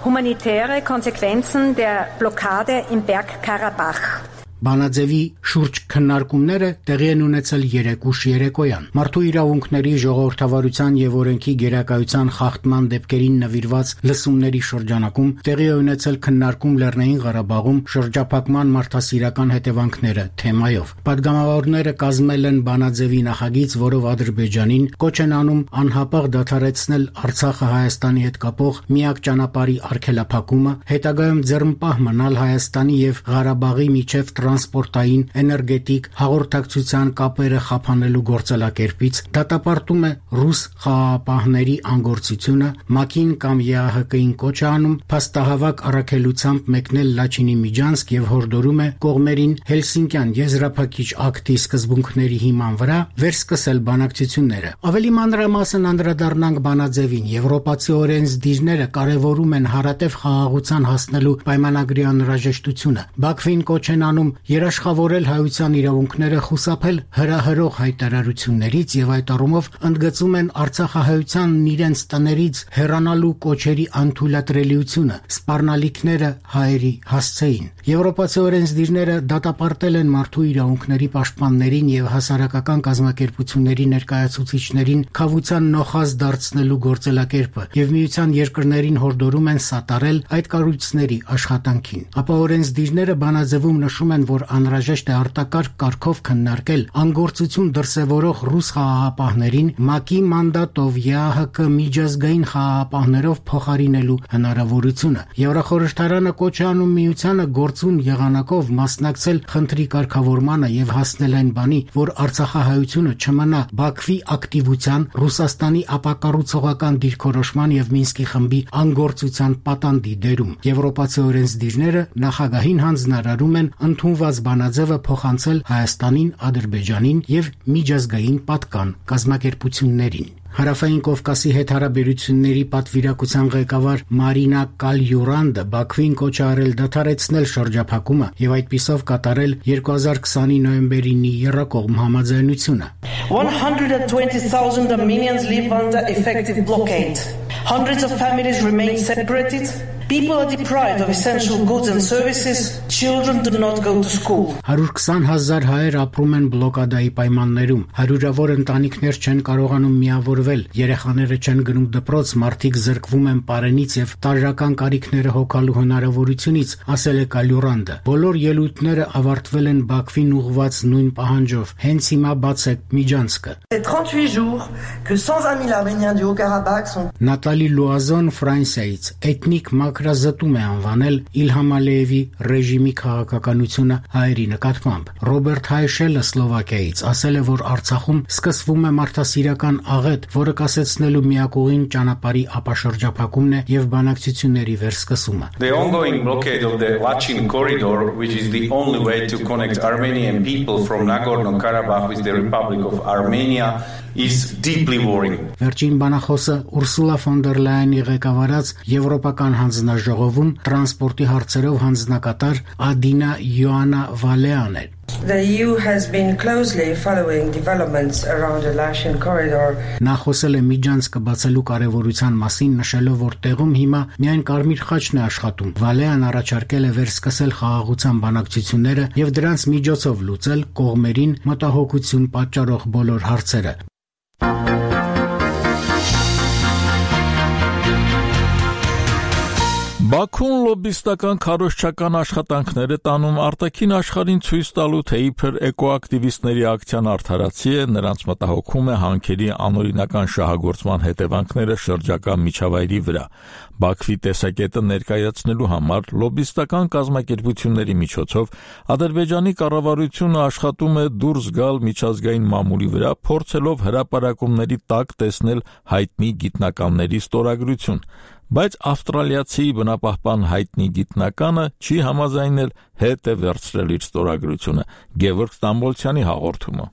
humanitären Konsequenzen der Blockade im Bergkarabach. Բանաձևի շուրջ քննարկումները տեղի են ունեցել երեկուշ երեկոյան։ Մարդու իրավունքների ժողովրդավարության եւ օրենքի գերակայության խախտման դեպքերին նվիրված լսումների շրջանակում տեղի է ունեցել քննարկում Լեռնային Ղարաբաղում շրջափակման մարդասիրական հետևանքները թեմայով։ Պատգամավորները կազմել են բանաձևի նախագիծ, որով Ադրբեջանին կոչ են անում անհապաղ դադարեցնել Արցախը Հայաստանի հետ կապող միակ ճանապարհի արգելափակումը, հետագայում ձեռնպահ մնալ Հայաստանի եւ Ղարաբաղի միջև տրանսպորտային, էներգետիկ, հաղորդակցության կապերը խափանելու գործելակերպից, դատապարտում է ռուս խաղաղապահների անգործությունը, ՄԱԿ-ին կամ ԵԱՀԿ-ին կոչ է անում փաստահավաք առաքելությամբ մեկնել Լաչինի միջանցք եւ հորդորում է կողմերին Հելսինկյան եզրափակիչ ակտի սկզբունքների հիման վրա վերսկսել բանակցությունները։ Ավելի մանրամասն անդրադառնանք բանաձևին։ Եվրոպացի օրենսդիրները կարևորում են հարատև խաղաղության հասնելու պայմանագրի անհրաժեշտությունը։ Բաքվին կոչ են անում երաշխավորել հայության իրավունքները, խուսափել հրահրող հայտարարություններից եւ այդ առումով ընդգծում են արցախահայությանն իրենց տներից հեռանալու կոչերի անթույլատրելիությունը, սպառնալիքները հայերի հասցեին։ Եվրոպացի օրենսդիրները դատապարտել են մարդու իրավունքների պաշտպաններին եւ հասարակական կազմակերպությունների ներկայացուցիչներին քավության նոխազ դարձնելու գործելակերպը եւ միության երկրներին հորդորում են սատարել այդ կառույցների աշխատանքին։ Ապա օրենսդիրները բանաձևում նշում են, որ անհրաժեշտ է արտակարգ կարգով քննարկել անգործություն դրսևորող ռուս խաղաղապահներին ՄԱԿ-ի մանդատով ԵԱՀԿ միջազգային խաղաղապահներով փոխարինելու հնարավորությունը։ Եվրախորհրդարանը կոչ է անում միությանը գործուն եղանակով մասնակցել խնդրի կարգավորմանը եւ հասնել այն բանի, որ Արցախահայությունը չմնա Բաքվի ակտիվության, Ռուսաստանի ապակառուցողական դիրքորոշման եւ Մինսկի խմբի անգործության պատանդի դերում։ Եվրոպացի օրենսդիրները նախագահին հանձնարարում են ընդունված բանաձևը փոխանցել Հայաստանին, Ադրբեջանին եւ միջազգային պատկան կազմակերպություններին։ Հարավային Կովկասի հետ հարաբերությունների պատվիրակության ղեկավար Մարինա Կալյուրանդը Բաքվին կոչ է արել դադարեցնել շրջափակումը եւ այդպիսով կատարել 2020-ի նոյեմբերի 9-ի եռակողմ համաձայնությունը. 120,000 Armenians live under effective blockade. Hundreds of families remain separated. People are deprived of essential goods and services. Children do not go to school. 120,000 հայեր ապրում են բլոկադայի պայմաններում. Հարյուրավոր ընտանիքներ չեն կարողանում միավորվել, երեխաները չեն գնում դպրոց, մարդիկ զրկվում են պարենից եւ տարրական կարիքները հոգալու հնարավորությունից, ասել է Կալյուրանդը։ Բոլոր ելույթները ավարտվել են Բաքվին ուղղված նույն պահանջով. հենց հիմա բացեք միջանցքը։ 38 jours que 120,000 Arméniens du Haut-Karabakh sont Նատալի Լուազոն Ֆրանսիայից էթնիկ մակրազտում է անվանել Իլհամ Ալիևի ռեժիմի քաղաքականությունը հայերի նկատմամբ։ Ռոբերտ Հայշելը Սլովակիայից ասել է, որ Արցախում սկսվում է մարդասիրական աղետ, որը կասեցնելու միակողին ճանապարհի ապաշրջափակումն է եւ բանակցությունների վերսկսումը։ The ongoing blockade of the Lachin corridor, which is the only way to connect Armenian people from Nagorno-Karabakh with the Republic of Armenia, is deeply worrying. Վերջին բանախոսը Ուրսուլա ֆոն դեր Լայենի ղեկավարած Եվրոպական հանձնաժողովում տրանսպորտի հարցերով հանձնակատար Ադինա Յոանա Վալեան է։ The EU has been closely following developments around the Lachin corridor. Նա խոսել է միջանցքը բացելու կարևորության մասին, նշելով, որ տեղում հիմա միայն Կարմիր խաչն է աշխատում։ Վալեան առաջարկել է վերսկսել խաղաղության բանակցությունները եւ դրանց միջոցով լուծել կողմերին մտահոգություն պատճառող բոլոր հարցերը։ Բաքուն լոբիստական քարոզչական աշխատանքներ է տանում արտաքին աշխարհին ցույց տալու, թե իբր էկոակտիվիստների ակցիան արդարացի է, նրանց մտահոգում է հանքերի անօրինական շահագործման հետևանքները շրջակա միջավայրի վրա։ Բաքվի տեսակետը ներկայացնելու համար լոբիստական կազմակերպությունների միջոցով Ադրբեջանի կառավարությունը աշխատում է դուրս գալ միջազգային մամուլի վրա, փորձելով հրապարակումների տակ տեսնել հայտնի գիտնականների ստորագրություն։ Բայց ավստրալիացի բնապահպան հայտնի գիտնականը չի համաձայնել հետ է վերցրել իր ստորագրությունը։ Գևորգ Ստամբոլցյանի հաղորդումը։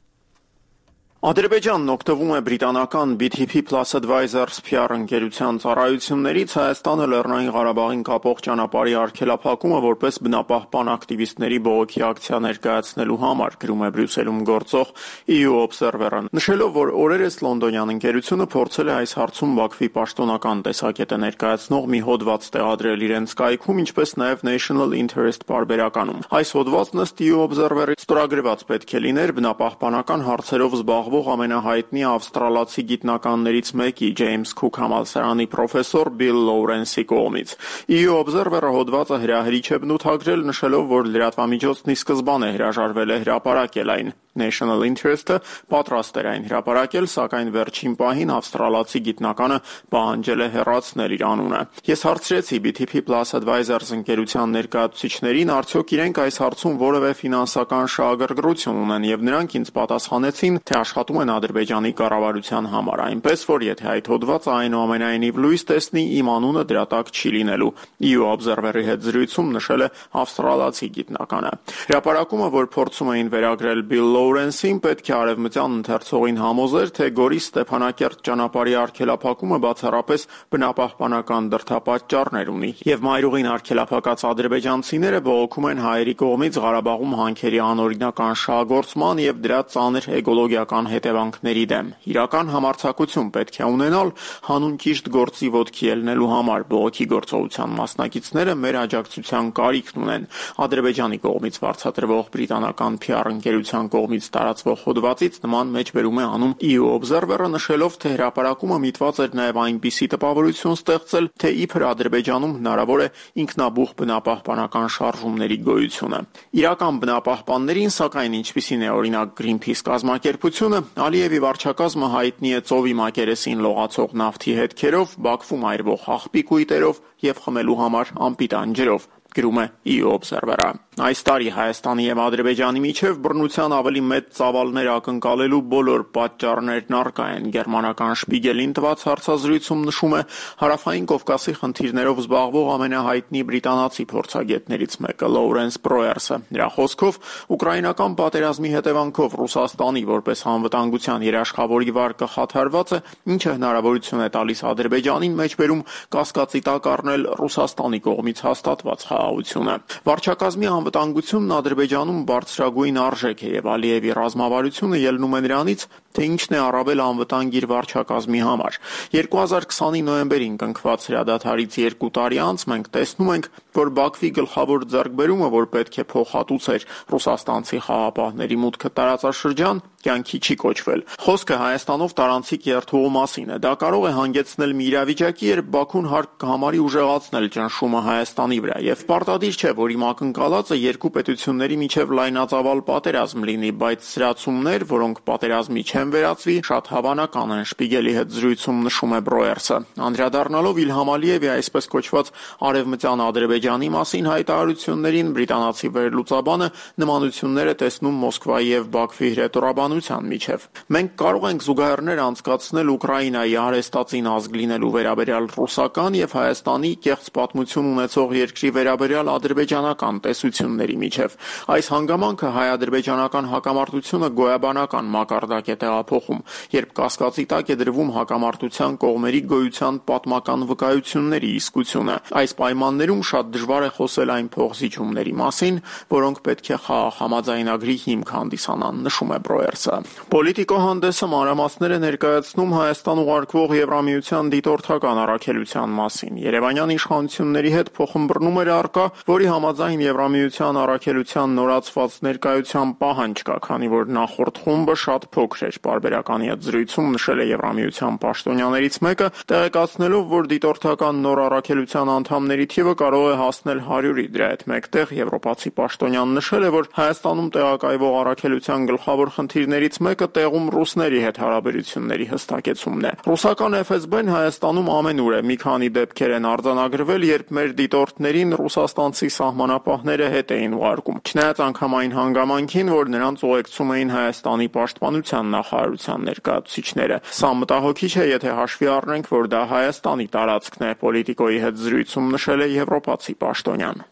Ադրբեջանն օգտվում է բրիտանական BTP Plus Advisors PR ընկերության ծառայություններից Հայաստանը Լեռնային Ղարաբաղին կապող ճանապարհի արգելափակումը որպես բնապահպան ակտիվիստների բողոքի ակցիա ներկայացնելու համար, գրում է Բրյուսելում գործող EU Observer-ը, նշելով, որ օրերս լոնդոնյան ընկերությունը փորձել է այս հարցում Բաքվի պաշտոնական տեսակետը ներկայացնող մի հոդված տեղադրել իրենց կայքում, ինչպես նաև National Interest պարբերականում։ Այս հոդվածն ըստ EU Observer-ի ստորագրված պետք է լիներ բնապահպանական հարցերով զբաղվող ամենահայտնի ավստրալացի գիտնականներից մեկի Ջեյմս Քուք համալսարանի պրոֆեսոր Բիլ Լոուրենսի կողմից։ EU Observer-ը հոդվածը հրահրիչ է բնութագրել, նշելով, որ լրատվամիջոցն ի սկզբանե հրաժարվել է հրապարակել այն։ National Interest-ը պատրաստ էր այն հրապարակել, սակայն վերջին պահին ավստրալացի գիտնականը պահանջել է հեռացնել իր անունը։ Ես հարցրեցի BTP Plus Advisors ընկերության ներկայացուցիչներին, արդյոք իրենք այս հարցում որևէ ֆինանսական շահագրգռություն ունեն, եւ նրանք ինձ պատասխանեցին, թե աշխատում են Ադրբեջանի կառավարության համար, այնպես որ եթե այդ հոդվածը այնուամենայնիվ լույս տեսնի, իմ անունը դրա տակ չի լինելու։ EU Observer-ի հետ զրույցում նշել է ավստրալացի գիտնականը։ Հրապարակումը, որ փորձում էին վերագրել Bill Լոուրենսին, պետք է արևմտյան ընթերցողին համոզեր, թե Գորիս Ստեփանակերտ ճանապարհի արգելափակումը բացառապես բնապահպանական դրդապատճառներ ունի, եւ մայրուղին արգելափակած ադրբեջանցիները բողոքում են հայերի կողմից Ղարաբաղում հանքերի անօրինական շահագործման եւ դրա ծանր էկոլոգիական հետևանքների դեմ։ Իրական համարձակություն պետք է ունենալ հանուն ճիշտ գործի ոտքի ելնելու համար։ Բողոքի գործողության մասնակիցները մեր աջակցության կարիքն ունեն։ Ադրբեջանի կողմից վարձատրվող բրիտանական PR ընկերության կողմից տարածվող հոդվածից նման մեջբերում է անում EU Observer-ը, նշելով, թե հրապարակումը միտված էր նաև այնպիսի տպավորություն ստեղծել, թե իբր Ադրբեջանում հնարավոր է ինքնաբուխ բնապահպանական շարժումների գոյությունը։ Իրական բնապահպաններին, սակայն, ինչպիսին է օրինակ Greenpeace կազմակերպությունը, Ալիևի վարչակազմը հայտնի է ծովի մակերեսին լողացող նավթի հետքերով, Բաքվում այրվող աղբի կույտերով եւ խմելու համար անպիտան ջրով։ գրում է EU-Observer-ը։ Այս տարի Հայաստանի եւ Ադրբեջանի միջև բռնության ավելի մեծ ծավալներ ակնկալելու բոլոր պատճառներն առկա են։ Գերմանական Շպիգելին տված հարցազրույցում նշում է Հարավային Կովկասի խնդիրներով զբաղվող ամենահայտնի բրիտանացի փորձագետներից մեկը Լոուրենս Բրոերսը։ Նրա խոսքով ուկրաինական պատերազմի հետևանքով Ռուսաստանի որպես անվտանգության երաշխավորի վարկը խաթարված է, ինչը հնարավորություն է տալիս Ադրբեջանին մեջբերում կասկածի տակ առնել Ռուսաստանի կողմից հաստատված խաղաղությունը։ Վարչակազմի անվտանգությունն Ադրբեջանում բարձրագույն արժեք է եւ Ալիևի ռազմավարությունը ելնում է նրանից, թե ինչն է առավել անվտանգ իր վարչակազմի համար։ 2020-ի նոյեմբերին կնքված հրադադարից 2 տարի անց մենք տեսնում ենք, որ Բաքվի գլխավոր ձեռքբերումը, որ պետք է փոխհատուցեր ռուսաստանցի խաղապահների մուտքը տարածաշրջան, կյանքի չի կոչվել։ Խոսքը Հայաստանով տարանցիկ երթուղու մասին է։ Դա կարող է հանգեցնել մի իրավիճակի, երբ Բաքուն հարկ կհամարի ուժեղացնել ճնշումը Հայաստանի վրա, եւ պարտադիր չէ, որ իմ ակնկալածը երկու պետությունների միջև լայնածավալ պատերազմ լինի, բայց սրացումներ, որոնք պատերազմի չեն վերածվի, շատ հավանական են, Շպիգելի հետ զրույցում նշում է Բրոերսը։ Անդրադառնալով Իլհամ Ալիևի այսպես կոչված արևմտյան Ադրբեջանի մասին հայտարարություններին, բրիտանացի վերլուծաբանը նմանություններ է տեսնում Մոսկվայի եւ Բաքվի հրետորաբանության միջև։ Մենք կարող ենք զուգահեռներ անցկացնել Ուկրաինայի արհեստածին ազգ լինելու վերաբերյալ ռուսական եւ Հայաստանի կեղծ պատմություն ունեցող երկրի վերաբերյալ ադրբեջանական տեսությունների միջև։ Այս հանգամանքը հայ-ադրբեջանական հակամարտությունը գոյաբանական մակարդակ է տեղափոխում, երբ կասկածի տակ է դրվում հակամարտության կողմերի գոյության պատմական վկայությունների իսկությունը։ Այս պայմաններում շատ դժվար է խոսել այն փոխզիջումների մասին, որոնք պետք է խաղաղ համաձայնագրի հիմք հանդիսանան, նշում է Բրոերսը։ Պոլիտիկո հանդեսը մանրամասներ է ներկայացնում Հայաստան ուղարկվող Եվրամիության դիտորդական առաքելության մասին։ Երևանյան իշխանությունների հետ փոխըմբռնում էր առկա, որի համաձայն Եվրամիության առաքելության նորացված ներկայության պահանջ կա, քանի որ նախորդ խումբը շատ փոքր էր։ Պարբերականի հետ զրույցում նշել է Եվրամիության պաշտոնյաներից մեկը, տեղեկացնելով, որ դիտորդական նոր առաքելության անդամների թիվը կարող է հասնել 100-ի։ Դրա հետ մեկտեղ եվրոպացի պաշտոնյան նշել է, որ Հայաստանում տեղակայվող առաքելության գլխավոր խնդիրներից մեկը տեղում ռուսների հետ հարաբերությունների հստակեցումն է։ Ռուսական FSB-ն Հայաստանում ամենուր է։ Մի քանի դեպքեր են արձանագրվել, երբ մեր դիտորդներին ռուսաստանցի սահմանապահները հետ էին ուղարկում, չնայած անգամ այն հանգամանքին, որ նրանց ուղեկցում էին Հայաստանի պաշտպանության նախարարության ներկայացուցիչները։ Սա մտահոգիչ է, եթե հաշվի առնենք, որ դա Հայաստանի տարածքն է, Պոլիտիկոյի հետ զրույցում նշել է եվրոպացի պաշտոնյան։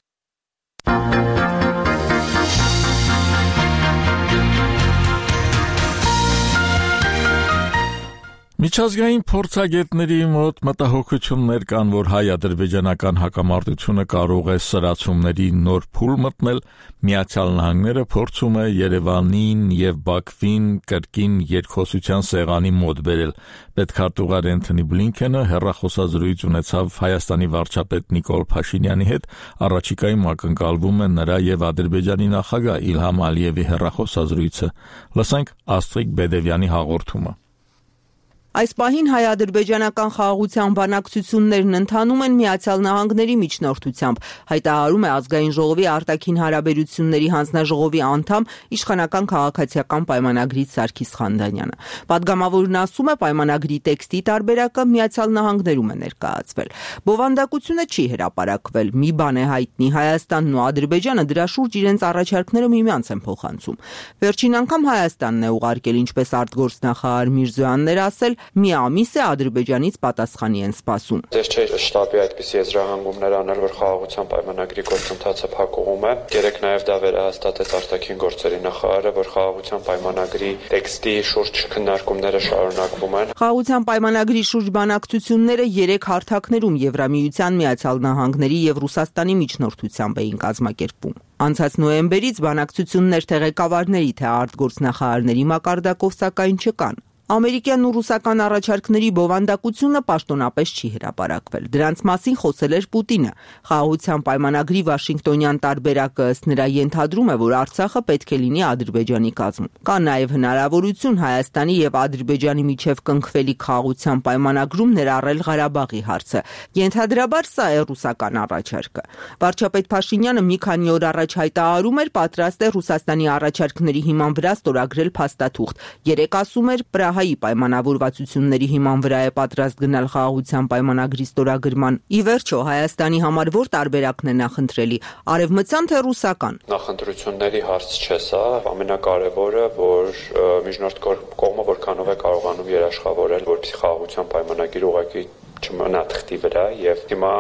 Միջազգային փորձագետների մոտ մտահոգություններ կան, որ հայ-ադրբեջանական հակամարտությունը կարող է սրացումների նոր փուլ մտնել, Միացյալ Նահանգները փորձում է Երևանին եւ Բաքվին կրկին երկխոսության սեղանի մոտ բերել։ Պետքարտուղար Էնթոնի Բլինքենը հեռախոսազրույց ունեցավ Հայաստանի վարչապետ Նիկոլ Փաշինյանի հետ, առաջիկայում ակնկալվում է նրա եւ Ադրբեջանի նախագահ Իլհամ Ալիևի հեռախոսազրույցը։ Լսենք Աստրիկ Բեդևյանի հաղորդումը։ Այս պահին հայ-ադրբեջանական խաղաղության բանակցություններն ընթանում են Միացյալ Նահանգների միջնորդությամբ, հայտարարում է Ազգային ժողովի արտաքին հարաբերությունների հանձնաժողովի անդամ իշխանական քաղաքացիական պայմանագրից Սարգիս Խանդանյանը։ Պատգամավորն ասում է, պայմանագրի տեքստի տարբերակը Միացյալ Նահանգներում է ներկայացվել։ Բովանդակությունը չի հրապարակվել։ Մի բան է հայտնի, Հայաստանն ու Ադրբեջանը դրա շուրջ իրենց առաջարկները միմյանց են փոխանցում։ Վերջին անգամ Հայաստանն է ուղարկել, ինչպես արտգործնախարար Միրզոյանն էր ասել, մի ամիս է Ադրբեջանից պատասխանի են սպասում։ Ես չէի շտաբի այդպիսի եզրահանգումներ անել, որ խաղաղության պայմանագրի գործընթացը փակուղում է։ Երեք նաև դա վերահաստատեց արտաքին գործերի նախարարը, որ խաղաղության պայմանագրի տեքստի շուրջ քննարկումները շարունակվում են։ Խաղաղության պայմանագրի շուրջ բանակցությունները 3 հարթակներում Եվրամիության, Միացյալ Նահանգների եւ Ռուսաստանի միջնորդությամբ էին կազմակերպվում։ Անցած նոյեմբերից բանակցություններ թե ղեկավարների, թե արտգործնախարարների մակարդակով սակայն չկան։ Ամերիկյան ու ռուսական առաջարկների բովանդակությունը պաշտոնապես չի հրապարակվել։ Դրանց մասին խոսել էր Պուտինը։ Խաղաղության պայմանագրի Վաշինգտոնյան տարբերակը ըստ նրա ենթադրում է, որ Արցախը պետք է լինի Ադրբեջանի կազմում։ Կա նաև հնարավորություն Հայաստանի եւ Ադրբեջանի միջև կնքվելիք խաղաղության պայմանագրում ներառել Ղարաբաղի հարցը։ Ենթադրաբար սա է ռուսական առաջարկը։ Վարչապետ Փաշինյանը մի քանի օր առաջ հայտարարում էր, պատրաստ է Ռուսաստանի առաջարկների հիման վրա ստորագրել փաստաթուղթ։ Երեկ ասում էր, Շահայի պայմանավորվածությունների հիման վրա է պատրաստ գնալ խաղաղության պայմանագրի ստորագրման։ Ի վերջո Հայաստանի համար որ տարբերակն է նախընտրելի՝ արևմտյան թե ռուսական։ Նախընտրությունների հարց չէ սա, ամենակարևորը, որ միջնորդ կողմը որքանով է կարողանում երաշխավորել, որպեսզի խաղաղության պայմանագիր ուղղակի չմնա թղթի վրա եւ հիմա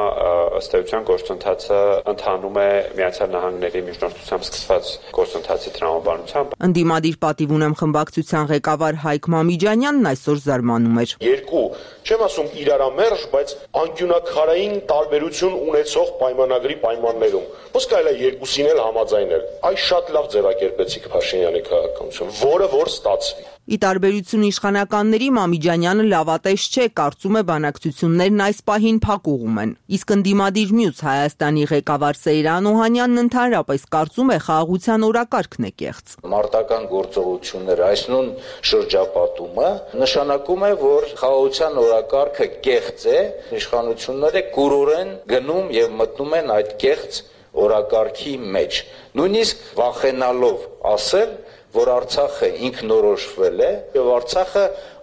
ըստ էության գործընթացը ընթանում է Միացյալ Նահանգների միջնորդությամբ սկսված գործընթացի տրամաբանությամբ։ Ընդդիմադիր պատիվ ունեմ խմբակցության ղեկավար Հայկ Մամիջանյանն այսօր զարմանում էր։ Երկու, չեմ ասում իրարամերժ, բայց անկյունակարային տարբերություն ունեցող պայմանագրի պայմաններում։ Ոնց կարելի է երկուսին էլ համաձայնել։ Այս շատ լավ ձևակերպեցիք Փաշինյանի քաղաքականություն, որը որ ստացվի։ Ի տարբերություն իշխանականների Մամիջանյանը լավատես չէ, կարծում է բանակցություններն այս պահին փակուղում են։ Իսկ ընդդիմադիր մյուս Հայաստանի ղեկավար Սեյրան Օհանյանն ընդհանրապես կարծում է խաղաղության օրակարգն է կեղծ։ Մարտական գործողությունները այս նույն շրջապատումը նշանակում է, որ խաղաղության օրակարգը կեղծ է, իշխանությունները կուրորեն գնում եւ մտնում են այդ կեղծ օրակարգի մեջ։ Նույնիսկ վախենալով ասել, որ Արցախը ինքնորոշվել է եւ Արցախը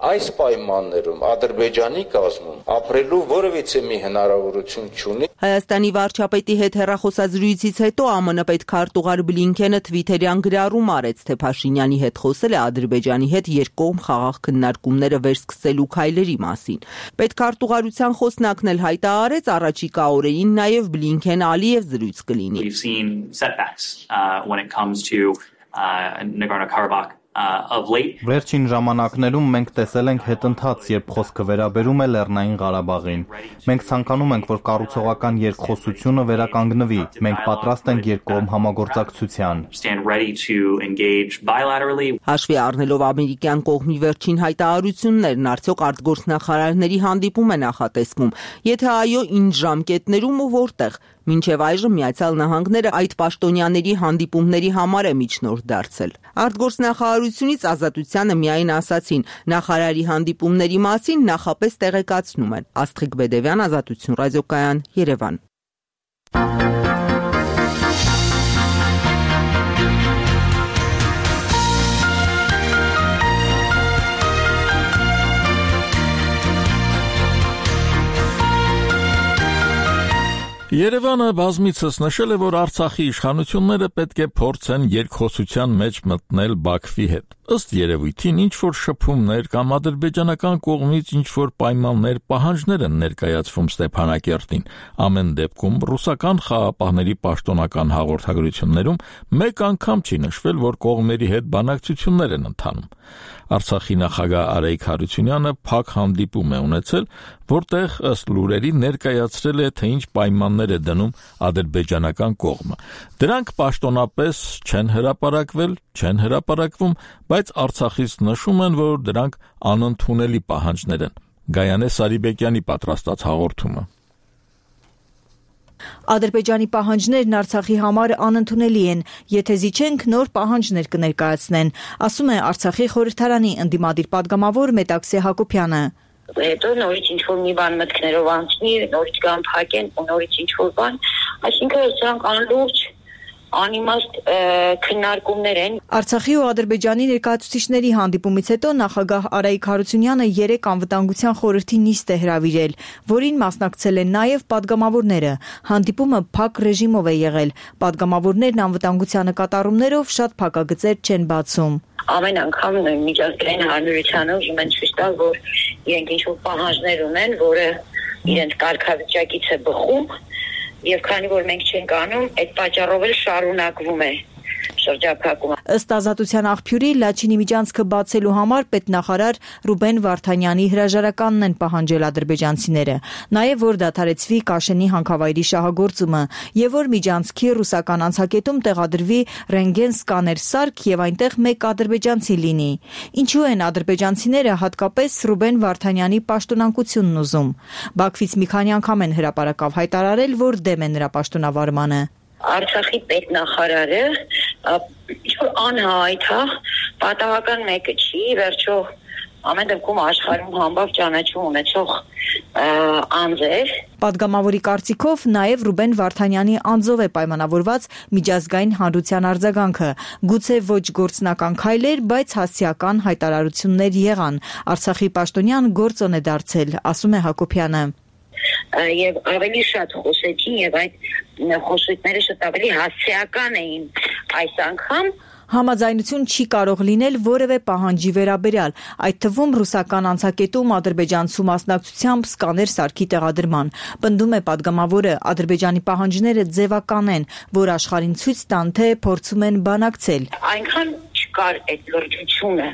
այս պայմաններում Ադրբեջանի կազմում ապրելու որևիցե մի հնարավորություն չունի։ Հայաստանի վարչապետի հետ հեռախոսազրույցից հետո ԱՄՆ պետքարտուղար Բլինքենը թվիթերյան գրառում արեց, թե Փաշինյանի հետ խոսել է Ադրբեջանի հետ երկկողմ խաղաղ քննարկումները վերսկսելու քայլերի մասին։ Պետքարտուղարության խոսնակն էլ հայտարարեց առաջիկա օրերին նաև Բլինքեն-Ալիև զրույց կլինի։ Nagorno-Karabakh of late. Վերջին ժամանակներում մենք տեսել ենք հետընթաց, երբ խոսքը վերաբերում է Լեռնային Ղարաբաղին։ Մենք ցանկանում ենք, որ կառուցողական երկխոսությունը վերականգնվի։ Մենք պատրաստ ենք երկկողմ համագործակցության։ Հաշվի առնելով ամերիկյան կողմի վերջին հայտարարություններն, արդյոք արտգործնախարարների հանդիպում է նախատեսվում։ Եթե այո, ինչ ժամկետներում ու որտեղ։ Մինչև այժմ Միացյալ Նահանգները այդ պաշտոնյաների հանդիպումների համար է միջնորդ դարձել։ Արտգործնախարարությունից Ազատությանը միայն ասացին, նախարարի հանդիպումների մասին նախապես տեղեկացնում են։ Աստղիկ Բեդևյան, Ազատություն ռադիոկայան, Երևան։ Երևանը բազմիցս նշել է, որ Արցախի իշխանությունները պետք է փորձեն երկխոսության մեջ մտնել Բաքվի հետ։ Ըստ երևույթին ինչ-որ շփումներ կամ ադրբեջանական կողմից ինչ-որ պայմաններ, պահանջներ են ներկայացվում Ստեփանակերտին։ Ամեն դեպքում ռուսական խաղապահների պաշտոնական հաղորդագրություններում մեկ անգամ չի նշվել, որ կողմերի հետ բանակցություններ են ընթանում։ Արցախի նախագահ Արայիկ Հարությունյանը փակ հանդիպում է ունեցել, որտեղ ըստ լուրերի ներկայացրել է, թե ինչ պայմաններ է դնում ադրբեջանական կողմը։ Դրանք պաշտոնապես չեն հրապարակվում, բայց Արցախից նշում են, որ դրանք անընդունելի պահանջներ են։ Գայանե Սարիբեկյանի պատրաստած հաղորդումը։ Ադրբեջանի պահանջներն Արցախի համար անընդունելի են, եթե զիջենք նոր պահանջներ կներկայացնեն, ասում է Արցախի խորհրդարանի ընդդիմադիր падգամավոր Մետաքսե Հակոբյանը։ Հետո նորից ինչ-որ մի բան մտքներով անցնի, նորից կան փակեն ու նորից ինչ-որ բան, այսինքն սրանք անլուրջ անիմաստ քննարկումներ են։ Արցախի ու Ադրբեջանի ներկայացուցիչների հանդիպումից հետո նախագահ Արայիկ Հարությունյանը 3 անվտանգության խորհրդի նիստ է հրավիրել, որին մասնակցել են նաև падգամավորները։ Հանդիպումը փակ ռեժիմով է եղել։ Падգամավորներն անվտանգության նկատառումներով շատ փակագծեր չեն բացում։ Ամեն անգամ միջազգային հանրությանը ուզում են ցույց տալ, որ իրենք ինչ-որ պահանջներ ունեն, որը իրենց կարգավիճակից է բխում, եւ քանի որ մենք չենք անում, այդ պատճառով էլ շարունակվում է շրջափակումը։ Ըստ Ազատության աղբյուրի Լաչինի միջանցքը բացելու համար պետնախարար Ռուբեն Վարդանյանի հրաժարականն են պահանջել ադրբեջանցիները, նաև որ դադարեցվի Կաշենի հանքավայրի շահագործումը եւ որ միջանցքի ռուսական անցակետում տեղադրվի ռենտգեն սկաներ սարք եւ այնտեղ մեկ ադրբեջանցի լինի։ Ինչու են ադրբեջանցիները հատկապես Ռուբեն Վարդանյանի պաշտոնանկությունն ուզում։ Բաքվից մի քանի անգամ են հրապարակավ հայտարարել, որ դեմ են նրա պաշտոնավարմանը։ Արցախի պետնախարարը ինչ-որ անհայտ է, պատահական մեկը չի, վերջո ամեն դեպքում աշխարհում համբավ ճանաչում ունեցող անձեր։ Պատգամավորի կարծիքով նաև Ռուբեն Վարդանյանի անձով է պայմանավորված միջազգային հանրության արձագանքը։ Գուցե ոչ գործնական քայլեր, բայց հասցեական հայտարարություններ եղան։ Արցախի պաշտոնյան գործոն է դարձել, ասում է Հակոբյանը։ Եվ ավելի շատ խոսեցին եւ այդ խոսույթները շատ ավելի հասցեական էին այս անգամ։ Համաձայնություն չի կարող լինել որևէ պահանջի վերաբերյալ, այդ թվում ռուսական անցակետում ադրբեջանցու մասնակցությամբ սկաներ սարքի տեղադրման։ Պնդում է պատգամավորը, Ադրբեջանի պահանջները ձևական են, որ աշխարհին ցույց տան, թե փորձում են բանակցել։ Այնքան չկար այդ լրջությունը,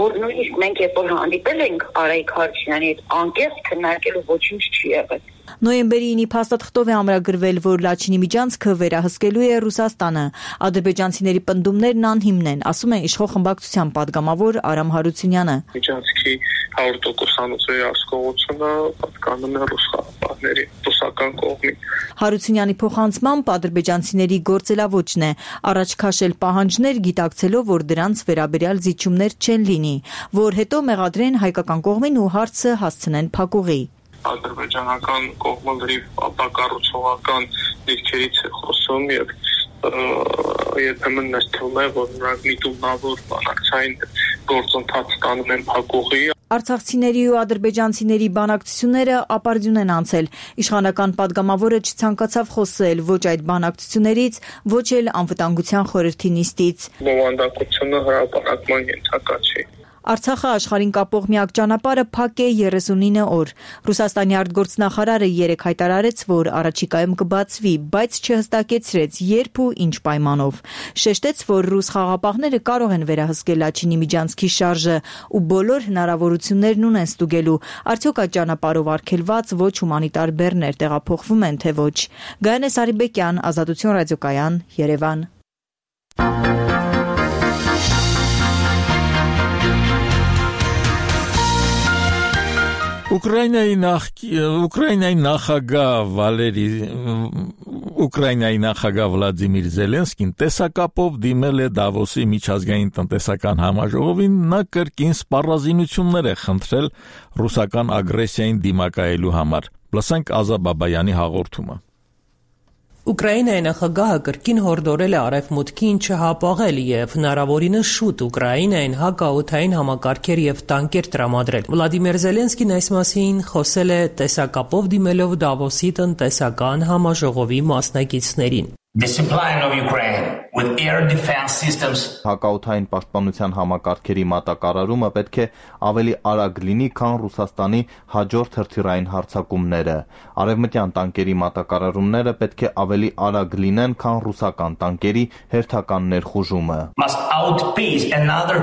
որ նույնիսկ մենք երբ որ հանդիպել ենք Արայիկ Հարությունյանի հետ, անկեղծ քննարկելու ոչինչ չի եղել։ Նոյեմբերի 9-ի փաստաթղթով է ամրագրվել, որ Լաչինի միջանցքը վերահսկելու է Ռուսաստանը։ Ադրբեջանցիների պնդումներն անհիմն են, ասում է իշխող խմբակցության պատգամավոր Արամ Հարությունյանը։ Միջանցքի 100% վերահսկողությունը պատկանում է ռուս խաղաղապահների ռուսական կողմին։ Հարությունյանի փոխանցմամբ ադրբեջանցիների գործելավոճն է առաջ քաշել պահանջներ, գիտակցելով, որ դրանց վերաբերյալ զիջումներ չեն լինի, որ հետո մեղադրեն հայկական կողմին ու հարցը հասցնեն փակուղի։ Ադրբեջանական կողմը լրիվ ապակառուցողական դիրքերից է խոսում եւ երբեմն նստվում է, որ նրանք միտումնավոր բանակցային գործընթաց տանում են փակուղի։ Արցախցիների ու ադրբեջանցիների բանակցությունները ապարդյուն են անցել։ Իշխանական պատգամավորը չցանկացավ խոսել ոչ այդ բանակցություններից, ոչ էլ անվտանգության խորհրդի նիստից։ Բովանդակությունը հրապարակման ենթակա չի։ Արցախը աշխարհին կապող միակ ճանապարհը փակ է 39 օր։ Ռուսաստանի արտգործնախարարը երեկ հայտարարեց, որ առաջիկայում կբացվի, բայց չհստակեցրեց երբ ու ինչ պայմանով։ Շեշտեց, որ ռուս խաղաղապահները կարող են վերահսկել Լաչինի միջանցքի շարժը ու բոլոր հնարավորություններն ունեն ստուգելու, արդյոք այդ ճանապարհով արգելված ոչ հումանիտար բեռներ տեղափոխվում են, թե ոչ։ Գայանե Սարիբեկյան, Ազատություն ռադիոկայան, Երևան։ Ուկրաինայի նախագահ Վլադիմիր Զելենսկին տեսակապով դիմել է Դավոսի միջազգային տնտեսական համաժողովին, նա կրկին սպառազինություններ է խնդրել ռուսական ագրեսիային դիմակայելու համար։ Լսենք Ազա Բաբայանի հաղորդումը։ Ուկրաինայի նախագահը կրկին հորդորել է արևմուտքին չհապաղել եւ հնարավորինս շուտ Ուկրաինային հակաօդային համակարգեր եւ տանկեր տրամադրել։ Վլադիմիր Զելենսկին այս մասին խոսել է տեսակապով դիմելով Դավոսի տնտեսական համաժողովի մասնակիցներին։ Discipline of Ukraine with air defense systems. Հակաօդային պաշտպանության համակարգերի մատակարարումը պետք է ավելի արագ լինի, քան Ռուսաստանի հաջորդ հրթիռային հարձակումները։ Արևմտյան տանկերի մատակարարումները պետք է ավելի արագ լինեն, քան ռուսական տանկերի հերթական ներխուժումը։ Must outpace another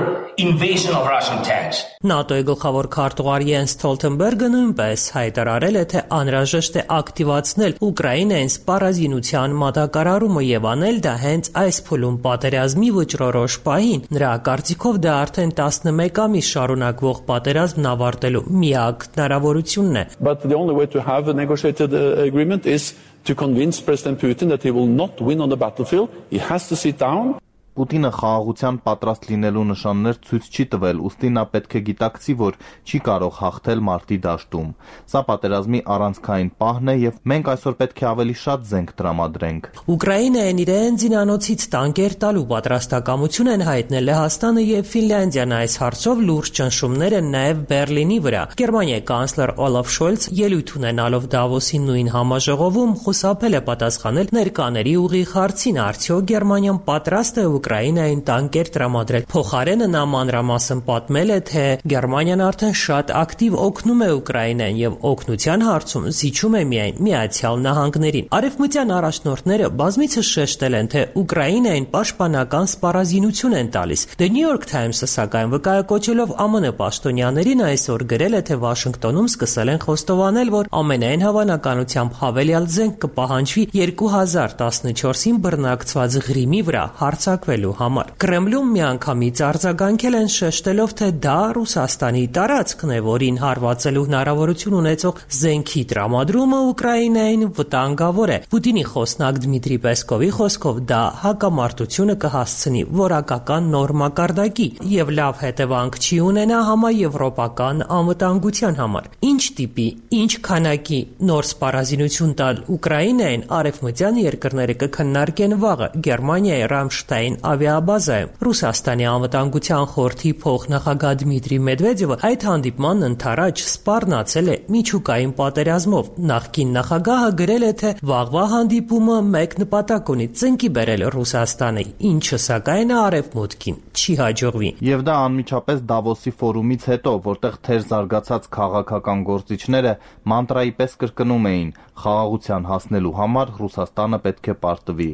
invasion of Russian tanks. ՆԱՏՕ-ի գլխավոր քարտուղար Յենս Ստոլտենբերգը նույնպես հայտարարել է, թե անհրաժեշտ է ակտիվացնել Ուկրաինային սպառազինության մատակարարումը եւ անել դա հենց այս փուլում պատերազմի վճռորոշ պահին։ Նրա կարծիքով դա արդեն 11 ամիս շարունակվող պատերազմն ավարտելու միակ հնարավորությունն է։ But the only way to have a negotiated agreement is to convince President Putin that he will not win on the battlefield. He has to sit down. Պուտինը խաղաղության պատրաստ լինելու նշաններ ցույց չի տվել, ուստի նա պետք է գիտակցի, որ չի կարող հաղթել մարտի դաշտում։ Սա պատերազմի առանցքային պահն է եւ մենք այսօր պետք է ավելի շատ զենք տրամադրենք։ Ուկրաինային իրեն զինանոցից տանկեր տալու պատրաստակամություն են հայտնել Լեհաստանը եւ Ֆինլանդիան այս հարցով լուրջ ճնշումներ են նաեւ Բերլինի վրա։ Գերմանիայի կանցլեր Օլաֆ Շոլց ելույթ ունենալով Դավոսի նույն համաժողովում խուսափել է պատասխանել ներկաների ուղիղ հարցին, արդյոք Գերմանիան պատրաստ է Ուկրաինային տանկեր տրամադրել։ Փոխարենը նա մանրամասն պատմել է, թե Գերմանիան արդեն շատ ակտիվ օգնում է Ուկրաինային եւ օգնության հարցում զիջում է միայն Միացյալ Նահանգներին։ Արևմտյան առաջնորդները բազմիցս շեշտել են, թե Ուկրաինային պաշտպանական սպառազինություն են տալիս։ The New York Times-ը սակայն վկայակոչելով ԱՄՆ պաշտոնյաներին այսօր գրել է, թե Վաշինգտոնում սկսել են խոստովանել, որ ամենայն հավանականությամբ հավելյալ զենք կպահանջվի 2014-ին բռնակցված Ղրիմի վրա հարձակվելու բռնկվելու համար։ Կրեմլում միանգամից արձագանքել են շեշտելով, թե դա Ռուսաստանի տարածքն է, որին հարվածելու հնարավորություն ունեցող զենքի տրամադրումը Ուկրաինային վտանգավոր է։ Պուտինի խոսնակ Դմիտրի Պեսկովի խոսքով դա հակամարտությունը կհասցնի որակական նոր մակարդակի եւ լավ հետևանք չի ունենա համաեվրոպական անվտանգության համար։ Ինչ տիպի, ինչ քանակի նոր սպառազինություն տալ Ուկրաինային արևմտյան երկրները կքննարկեն վաղը Գերմանիայի Ռամշտայն ավիաբազայում։ Ռուսաստանի անվտանգության խորհրդի փոխնախագահ Դմիտրի Մեդվեդևը այդ հանդիպման ընթരാճ սպառնացել է միջուկային պատերազմով։ Նախկին նախագահը գրել է, թե վաղվա հանդիպումը մեկ նպատակ ունի՝ ծնկի բերել Ռուսաստանը, ինչը սակայն արևմուտքին չի հաջողվի։ Եվ դա անմիջապես Դավոսի ֆորումից հետո, որտեղ թեր զարգացած քաղաքական գործիչները մանտրայի պես կրկնում էին՝ խաղաղության հասնելու համար Ռուսաստանը պետք է պարտվի։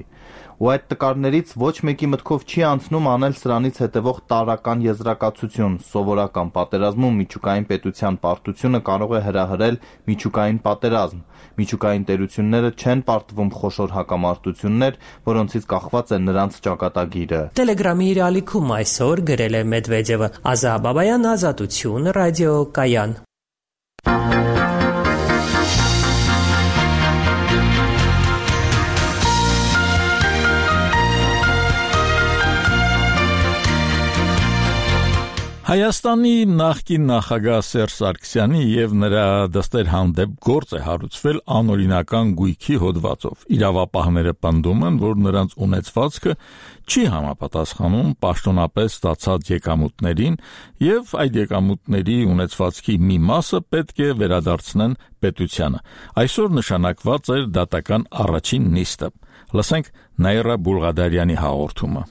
Ու այդ տկարներից ոչ մեկի մտքով չի անցնում անել սրանից հետևող տարրական եզրակացություն՝ սովորական պատերազմում միջուկային պետության պարտությունը կարող է հրահրել միջուկային պատերազմ։ Միջուկային տերությունները չեն պարտվում խոշոր հակամարտություններ, որոնցից կախված է նրանց ճակատագիրը։ Տելեգրամի իր ալիքում այսօր գրել է Մեդվեդևը։ Ազա Բաբայան, Ազատություն, Ռադիո Կայան։ Հայաստանի նախկին նախագահ Սերժ Սարգսյանի եւ նրա դստեր հանդեպ գործ է հարուցվել անօրինական գույքի հոդվածով։ Իրավապահները պնդում են, որ նրանց ունեցվածքը չի համապատասխանում պաշտոնապես ստացած եկամուտներին եւ այդ եկամուտների ունեցվածքի մի մասը պետք է վերադարձնեն պետությանը։ Այսօր նշանակված էր դատական առաջին նիստը։ Լսենք Նաիրա Բուլղադարյանի հաղորդումը։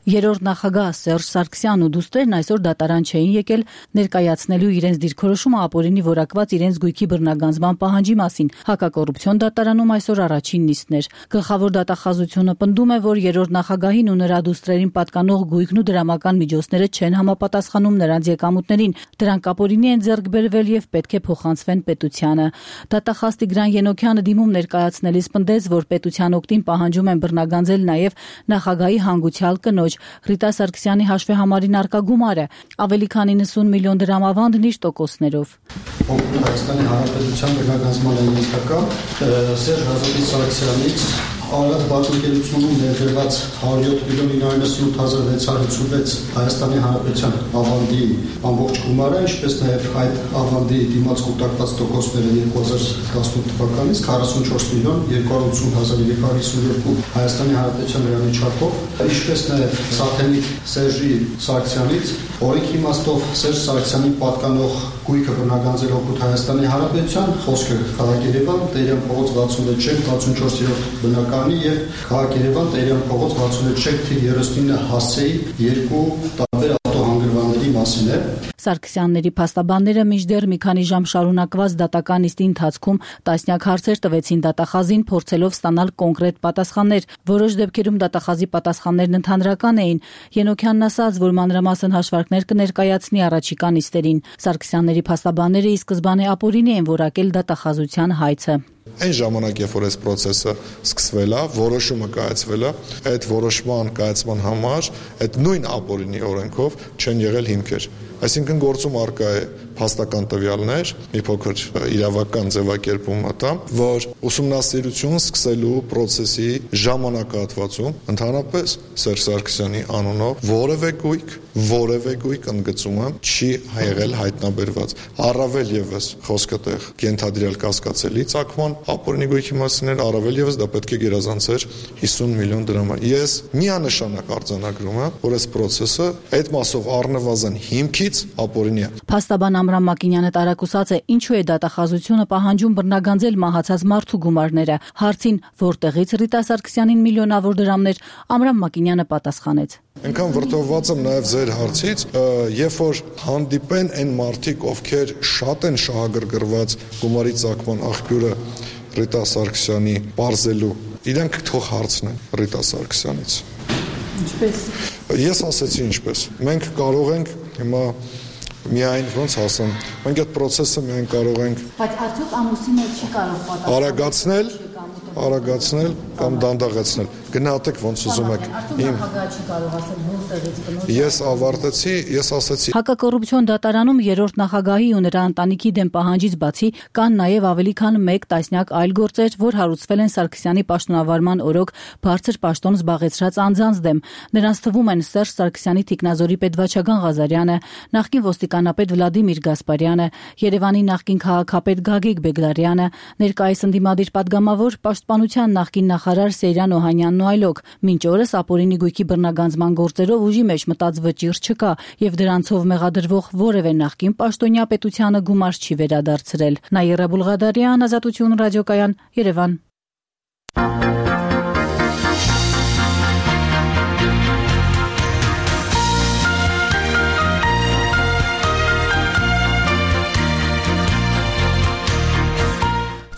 Երրորդ նախագահ Սերժ Սարգսյանն ու դուստրերն այսօր դատարան չէին եկել ներկայացնելու իրենց դիրքորոշումը ապօրինի որակված իրենց գույքի բռնագանձման պահանջի մասին։ Հակակոռուպցիոն դատարանում այսօր առաջին նիստն էր։ Գլխավոր դատախազությունը պնդում է, որ երրորդ նախագահին ու նրա դուստրերին պատկանող գույքն ու դրամական միջոցները չեն համապատասխանում նրանց եկամուտներին։ Դրանք ապօրինի են ձեռք բերվել եւ պետք է փոխանցվեն պետությանը։ Դատախազ Տիգրան Ենոքյանը դիմում ներկայացնելիս պնդեց, որ պետության օգտին պահանջում են բռնագանձել նաեւ նախագահի հանգուցյալ կնոջ Ռիտա Սարգսյանի հաշվեհամարին արկա գումարը, ավելի քան 90 միլիոն դրամ ավանդն իր տոկոսներով։ Հայաստանի Հանրապետության բռնագանձման ենթակա Սերժ Սարգսյանից Արարատ բաժնետերությունում ներդրված 107.998.656 Հայաստանի Հանրապետության ավանդի ամբողջ գումարը, ինչպես նաև այդ ավանդի դիմաց կուտակված տոկոսները 2018 թվականից 44.280.352 Հայաստանի Հանրապետության լրանի չափով, ինչպես նաև Սաթենիկ Սերժի Սարգսյանից օրենքի իմաստով Սերժ Սարգսյանին պատկանող գույքը բռնագանձել օգուտ Հայաստանի Հանրապետության, խոսքը քաղաք Երևան, Տերյան փողոց 66/64 բնակարանի եւ քաղաք Երևան, Տերյան փողոց 66/39 հասցեի երկու տարբեր ավտոհանգրվանների մասին է։ Սարգսյանների փաստաբանները մինչդեռ մի քանի ժամ շարունակված դատական նիստի ընթացքում տասնյակ հարցեր տվեցին դատախազին, փորձելով ստանալ կոնկրետ պատասխաններ։ Որոշ դեպքերում դատախազի պատասխաններն ընդհանրական էին։ Ենոքյանն ասաց, որ մանրամասն հաշվարկներ կներկայացնի առաջիկա նիստերին։ Սարգսյանների փաստաբանները ի սկզբանե ապօրինի են որակել դատախազության հայցը։ Այն ժամանակ, երբ որ այս process-ը սկսվել է, որոշումը կայացվել է, այդ որոշման կայացման համար այդ նույն ապօրինի օրենքով չեն եղել հիմքեր։ Այսինքն գործում արկա է փաստական տվյալներ, մի փոքր իրավական ձևակերպում մտա, որ ուսումնասիրություն սկսելու process-ի ժամանակահատվածում ընդհանրապես Սերժ Սարգսյանի անունով որևէ գույք ընդգծում եմ չի եղել հայտնաբերված։ Առավել եւս խոսքը տեղ կենթադրյալ կասկածելի ծագման ապօրինի գույքի մասին էր, առավել եւս դա պետք է գերազանցեր 50 միլիոն դրամ։ Ես միանշանակ արձանագրում եմ, որ այս process-ը այդ մասով առնվազն հիմքից ապօրինի է։ Փաստաբան Ամրամ Մակինյանը տարակուսած է, ինչու է դատախազությունը պահանջում բռնագանձել մահացած մարդու գումարները։ Հարցին, որտեղից Ռիտա Սարգսյանին միլիոնավոր դրամներ, Ամրամ Մակինյանը պատասխանեց. Այնքան վրդովված եմ նաև ձեր հարցից, երբ որ հանդիպեն այն մարդիկ, ովքեր շատ են շահագրգռված գումարի ծագման աղբյուրը Ռիտա Սարգսյանի բարձելու, իրենք թող հարցնեն Ռիտա Սարգսյանից։ Ինչպես։ Ես ասեցի ինչպես։ Մենք կարող ենք հիմա միայն ոնց ասեմ, մենք այդ process-ը միայն կարող ենք Բայց արդյոք ամուսինը չի կարող պատասխանել արագացնել կամ դանդաղեցնել։ Գնահատեք ոնց ուզում եք։ Ես ավարտեցի, ես ասացի։ Հակակոռուպցիոն դատարանում երրորդ նախագահի ու նրա ընտանիքի դեմ պահանջից բացի կան նաև ավելի քան 1 տասնյակ այլ գործեր, որ հարուցվել են Սարգսյանի պաշտոնավարման օրոք բարձր պաշտոն զբաղեցրած անձանց դեմ։ Նրանց թվում են Սերժ Սարգսյանի թիկնազորի պետվաճական Ղազարյանը, նախկին ոստիկանապետ Վլադիմիր Գասպարյանը, Երևանի նախկին քաղաքապետ Գագիկ Բեգլարյանը, ներկայիս ընդդիմադիր պատգամավոր պաշտպանության նախկին նախարար Սեյրան Օհանյանն ու այլոք։ Մինչ օրս ապօրինի գույքի բռնագանձման գործերով ուժի մեջ մտած վճիռ չկա եւ դրանցով մեղադրվող որևէ նախկին պաշտոնյա պետությանը գումար չի վերադարձրել։ Նաիրա Բուլղադարյան, Ազատություն ռադիոկայան, Երևան։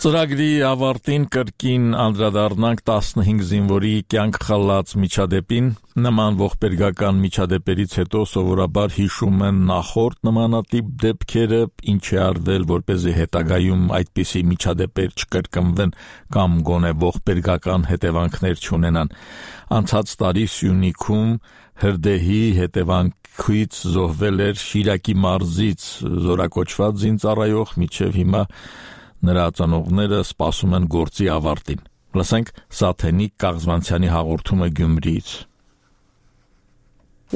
Ծրագրի ավարտին կրկին անդրադառնանք 15 զինվորի կյանք խլած միջադեպին։ Նման ողբերգական միջադեպերից հետո սովորաբար հիշում են նախորդ նմանատիպ դեպքերը, ինչ է արվել, որպեսզի հետագայում այդպիսի միջադեպեր չկրկնվեն կամ գոնե ողբերգական հետևանքներ չունենան։ Անցած տարի Սյունիքում հրդեհի հետևանքից զոհվել էր Շիրակի մարզից զորակոչված զինծառայող, մինչև հիմա նրա ծնողները սպասում են գործի ավարտին։ Լսենք Սաթենիկ Կաղզվանցյանի հաղորդումը Գյումրիից։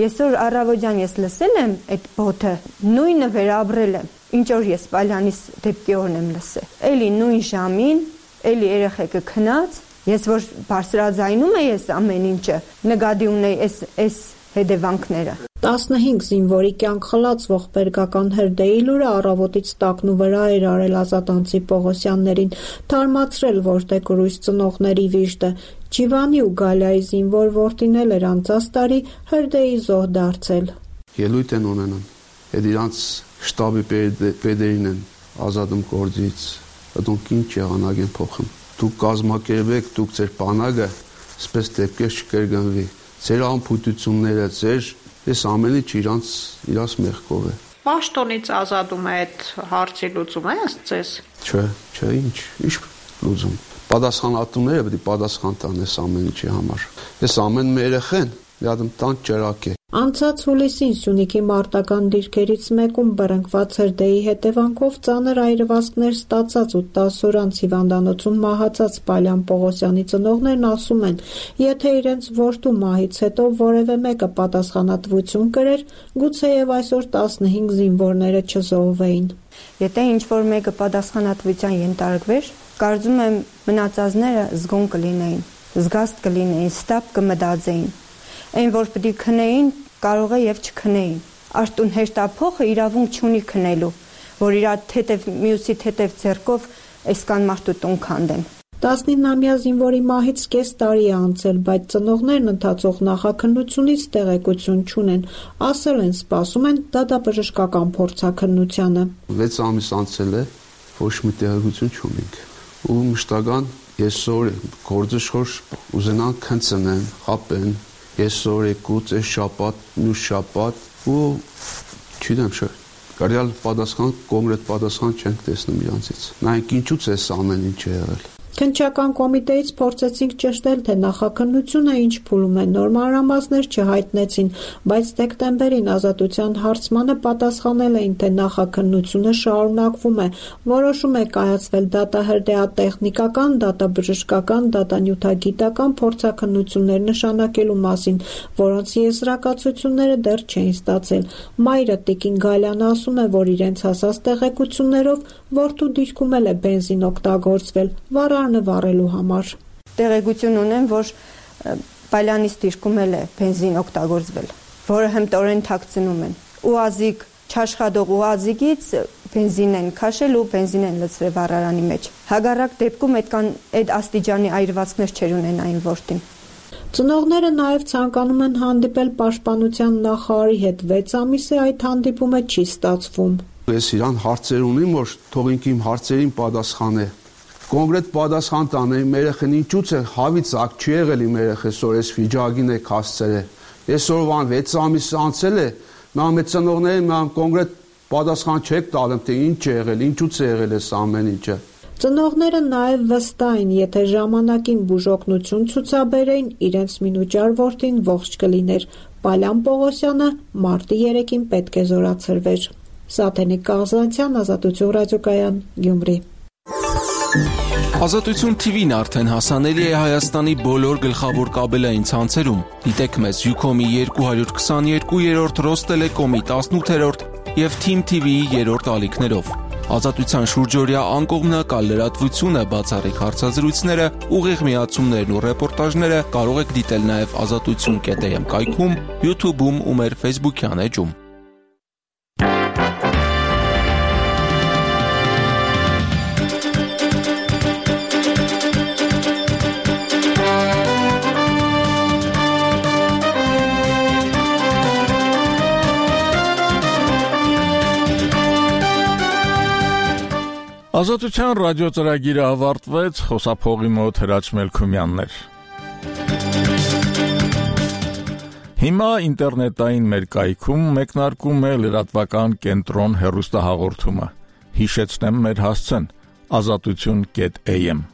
Այսօր առավոտյան ես լսել եմ այդ բոթը, նույնը վերաբրել եմ, ինչ որ ես Պալյանիս դեպքի օրն եմ լսել։ Էլի նույն ժամին, էլի երեխեքը քնած, ես որ բարձրաձայնում եմ ամեն ինչը, նկատի ունեի այս հետևանքները։ 15 զինվորի կյանք խլած ողբերգական հրդեհի լուրը առավոտից տակնու վրա էր արել ազատանցի Պողոսյաններին, թարմացրել որտե կրույս ծնողների վիշտը։ Ջիվանի ու Գալիայի զինվոր որդին էր անցած տարի հրդեհի զոհ դարձել։ Ելույթ են ունենում, այդ իրանց շտաբի պետերին են ազատում գործից, դուք ինչ եղանակ են փոխում։ Դուք կազմակերպեք, դուք ձեր բանակը, սպես դեպքեր չկրկնվի։ Ձեր անփույթությունները, այս ամենը իրանց մեղքով է։ Պաշտոնից ազատում է այդ հարցի լուծում է ձեզ։ Չէ, ինչ լուծում։ Պատասխանատուները պետք է պատասխան տան այս ամեն ինչի համար։ Այս ամեն մի երեխան մի հատ տան ճրակ է։ Անցած հուլիսին Սյունիքի մարտական դիրքերից մեկում բռնկված հրդեհի հետևանքով ծանր այրվածքներ ստացած ու 10 օր անց հիվանդանոցում մահացած Պալյան Պողոսյանի ծնողներն ասում են, եթե իրենց որդու մահից հետո որևէ մեկը պատասխանատվություն կրեր, գուցեև այսօր 15 զինվորները չզոհվեին։ Եթե ինչ-որ մեկը պատասխանատվության ենթարկվեր, կարծում եմ մնացածները զգոն կլինեին, զգաստ կլինեին, ստապ կմտածեին։ Այն որ պետք է քնեին, կարող է եւ չքնեին։ Արտուն հեշտափոխը իրավունք չունի քնելու, որ իր թեթև մյուսի թեթև ձեռքով այսքան մարդու տուն քանդեն։ 19-ամյա զինվորի մահից կես տարի է անցել, բայց ծնողներն ընթացող նախաքննությունից տեղեկություն չունեն, ասել են սպասում են դատաբժշկական փորձաքննությանը։ 6 ամիս անցել է, ոչ մի տեղեկություն չունենք։ Ու մշտական այսօր գործը շորշ ուզենան քննեն, խապեն, այսօր եկուց այս շաբաթ, մյուս շաբաթ ու չգիտեմ չէ։ Կարյալ պատասխան, կոնկրետ պատասխան չենք տեսնում իրանցից։ Նայեք ինչու՞ց է ամեն ինչ եղել։ Քննչական կոմիտեից փորձեցինք ճշտել, թե նախաքննությունը ինչ փուլում է, նոր մանրամասներ չհայտնեցին, բայց դեկտեմբերին Ազատության հարցմանը պատասխանել էին, թե նախաքննությունը շարունակվում է, որոշում է կայացվել դատահրդեհատեխնիկական, դատաբժշկական, դատանյութագիտական փորձաքննություններ նշանակելու մասին, որոնց եզրակացությունները դեռ չէին ստացել։ Մայրը Տիկին Գալյանը ասում է, որ իրենց հասած տեղեկություններով որդու դիրքում էլ է բենզին օգտագործվել, վառարանը վառելու համար։ Տեղեկություն ունեմ, որ Պալյանից դիրքում էլ է բենզին օգտագործվել, որը հմտորեն թաքցնում են։ Ուազիկ չաշխատող ուազիկից բենզին են քաշել ու բենզին են լցրել վառարանի մեջ։ Հակառակ դեպքում այդ աստիճանի այրվածքներ չեր ունենային որդին։ Ծնողները նաև ցանկանում են հանդիպել պաշտպանության նախարարի հետ, 6 ամիս է այդ հանդիպումը չի ստացվում։ Ես իրան հարցեր ունեմ, որ թողինք իմ հարցերին պատասխանե։ Կոնկրետ պատասխան տան իմ երեխան ինչու՞ց է հավից ակ չի եղել իմ երեխես, որ այս վիճակին է հասցրել։ Այսօրվան 6 ամիս անցել է, նա մեծ ծնողներին կոնկրետ պատասխան չեք տալում, թե ինչ է եղել, ինչու՞ց է եղել այս ամեն ինչը։ Ծնողները նաև վստահ են, եթե ժամանակին բուժօգնություն ցուցաբերեին, իրենց մինուճար որդին ողջ կլիներ։ Պալյան Պողոսյանը մարտի 3-ին պետք է զորացրվեր։ Սաթենիկ Կաղզանցյան, Ազատություն ռադիոկայան, Գյումրի։ Ազատություն TV-ն արդեն հասանելի է Հայաստանի բոլոր գլխավոր կաբելային ցանցերում։ Դիտեք մեզ Ucom-ի 222-րդ, Ռոստելեկոմի 18-րդ եւ Team TV-ի 3-րդ ալիքներով։ Ազատության շուրջօրյա անկողմնակալ լրատվությունը, բացառիկ հարցազրույցները, ուղիղ միացումներն ու ռեպորտաժները կարող եք դիտել նաև azatutun.am կայքում, YouTube-ում ու մեր Facebook-յան էջում։ Ազատության ռադիոծրագիրը ավարտվեց, խոսափողի մոտ Հրաչ Մելքումյանն էր։ Հիմա ինտերնետային մեր կայքում մեկնարկում է լրատվական կենտրոն հեռուստահաղորդումը։ Հիշեցնեմ մեր հասցեն՝ azatutun.am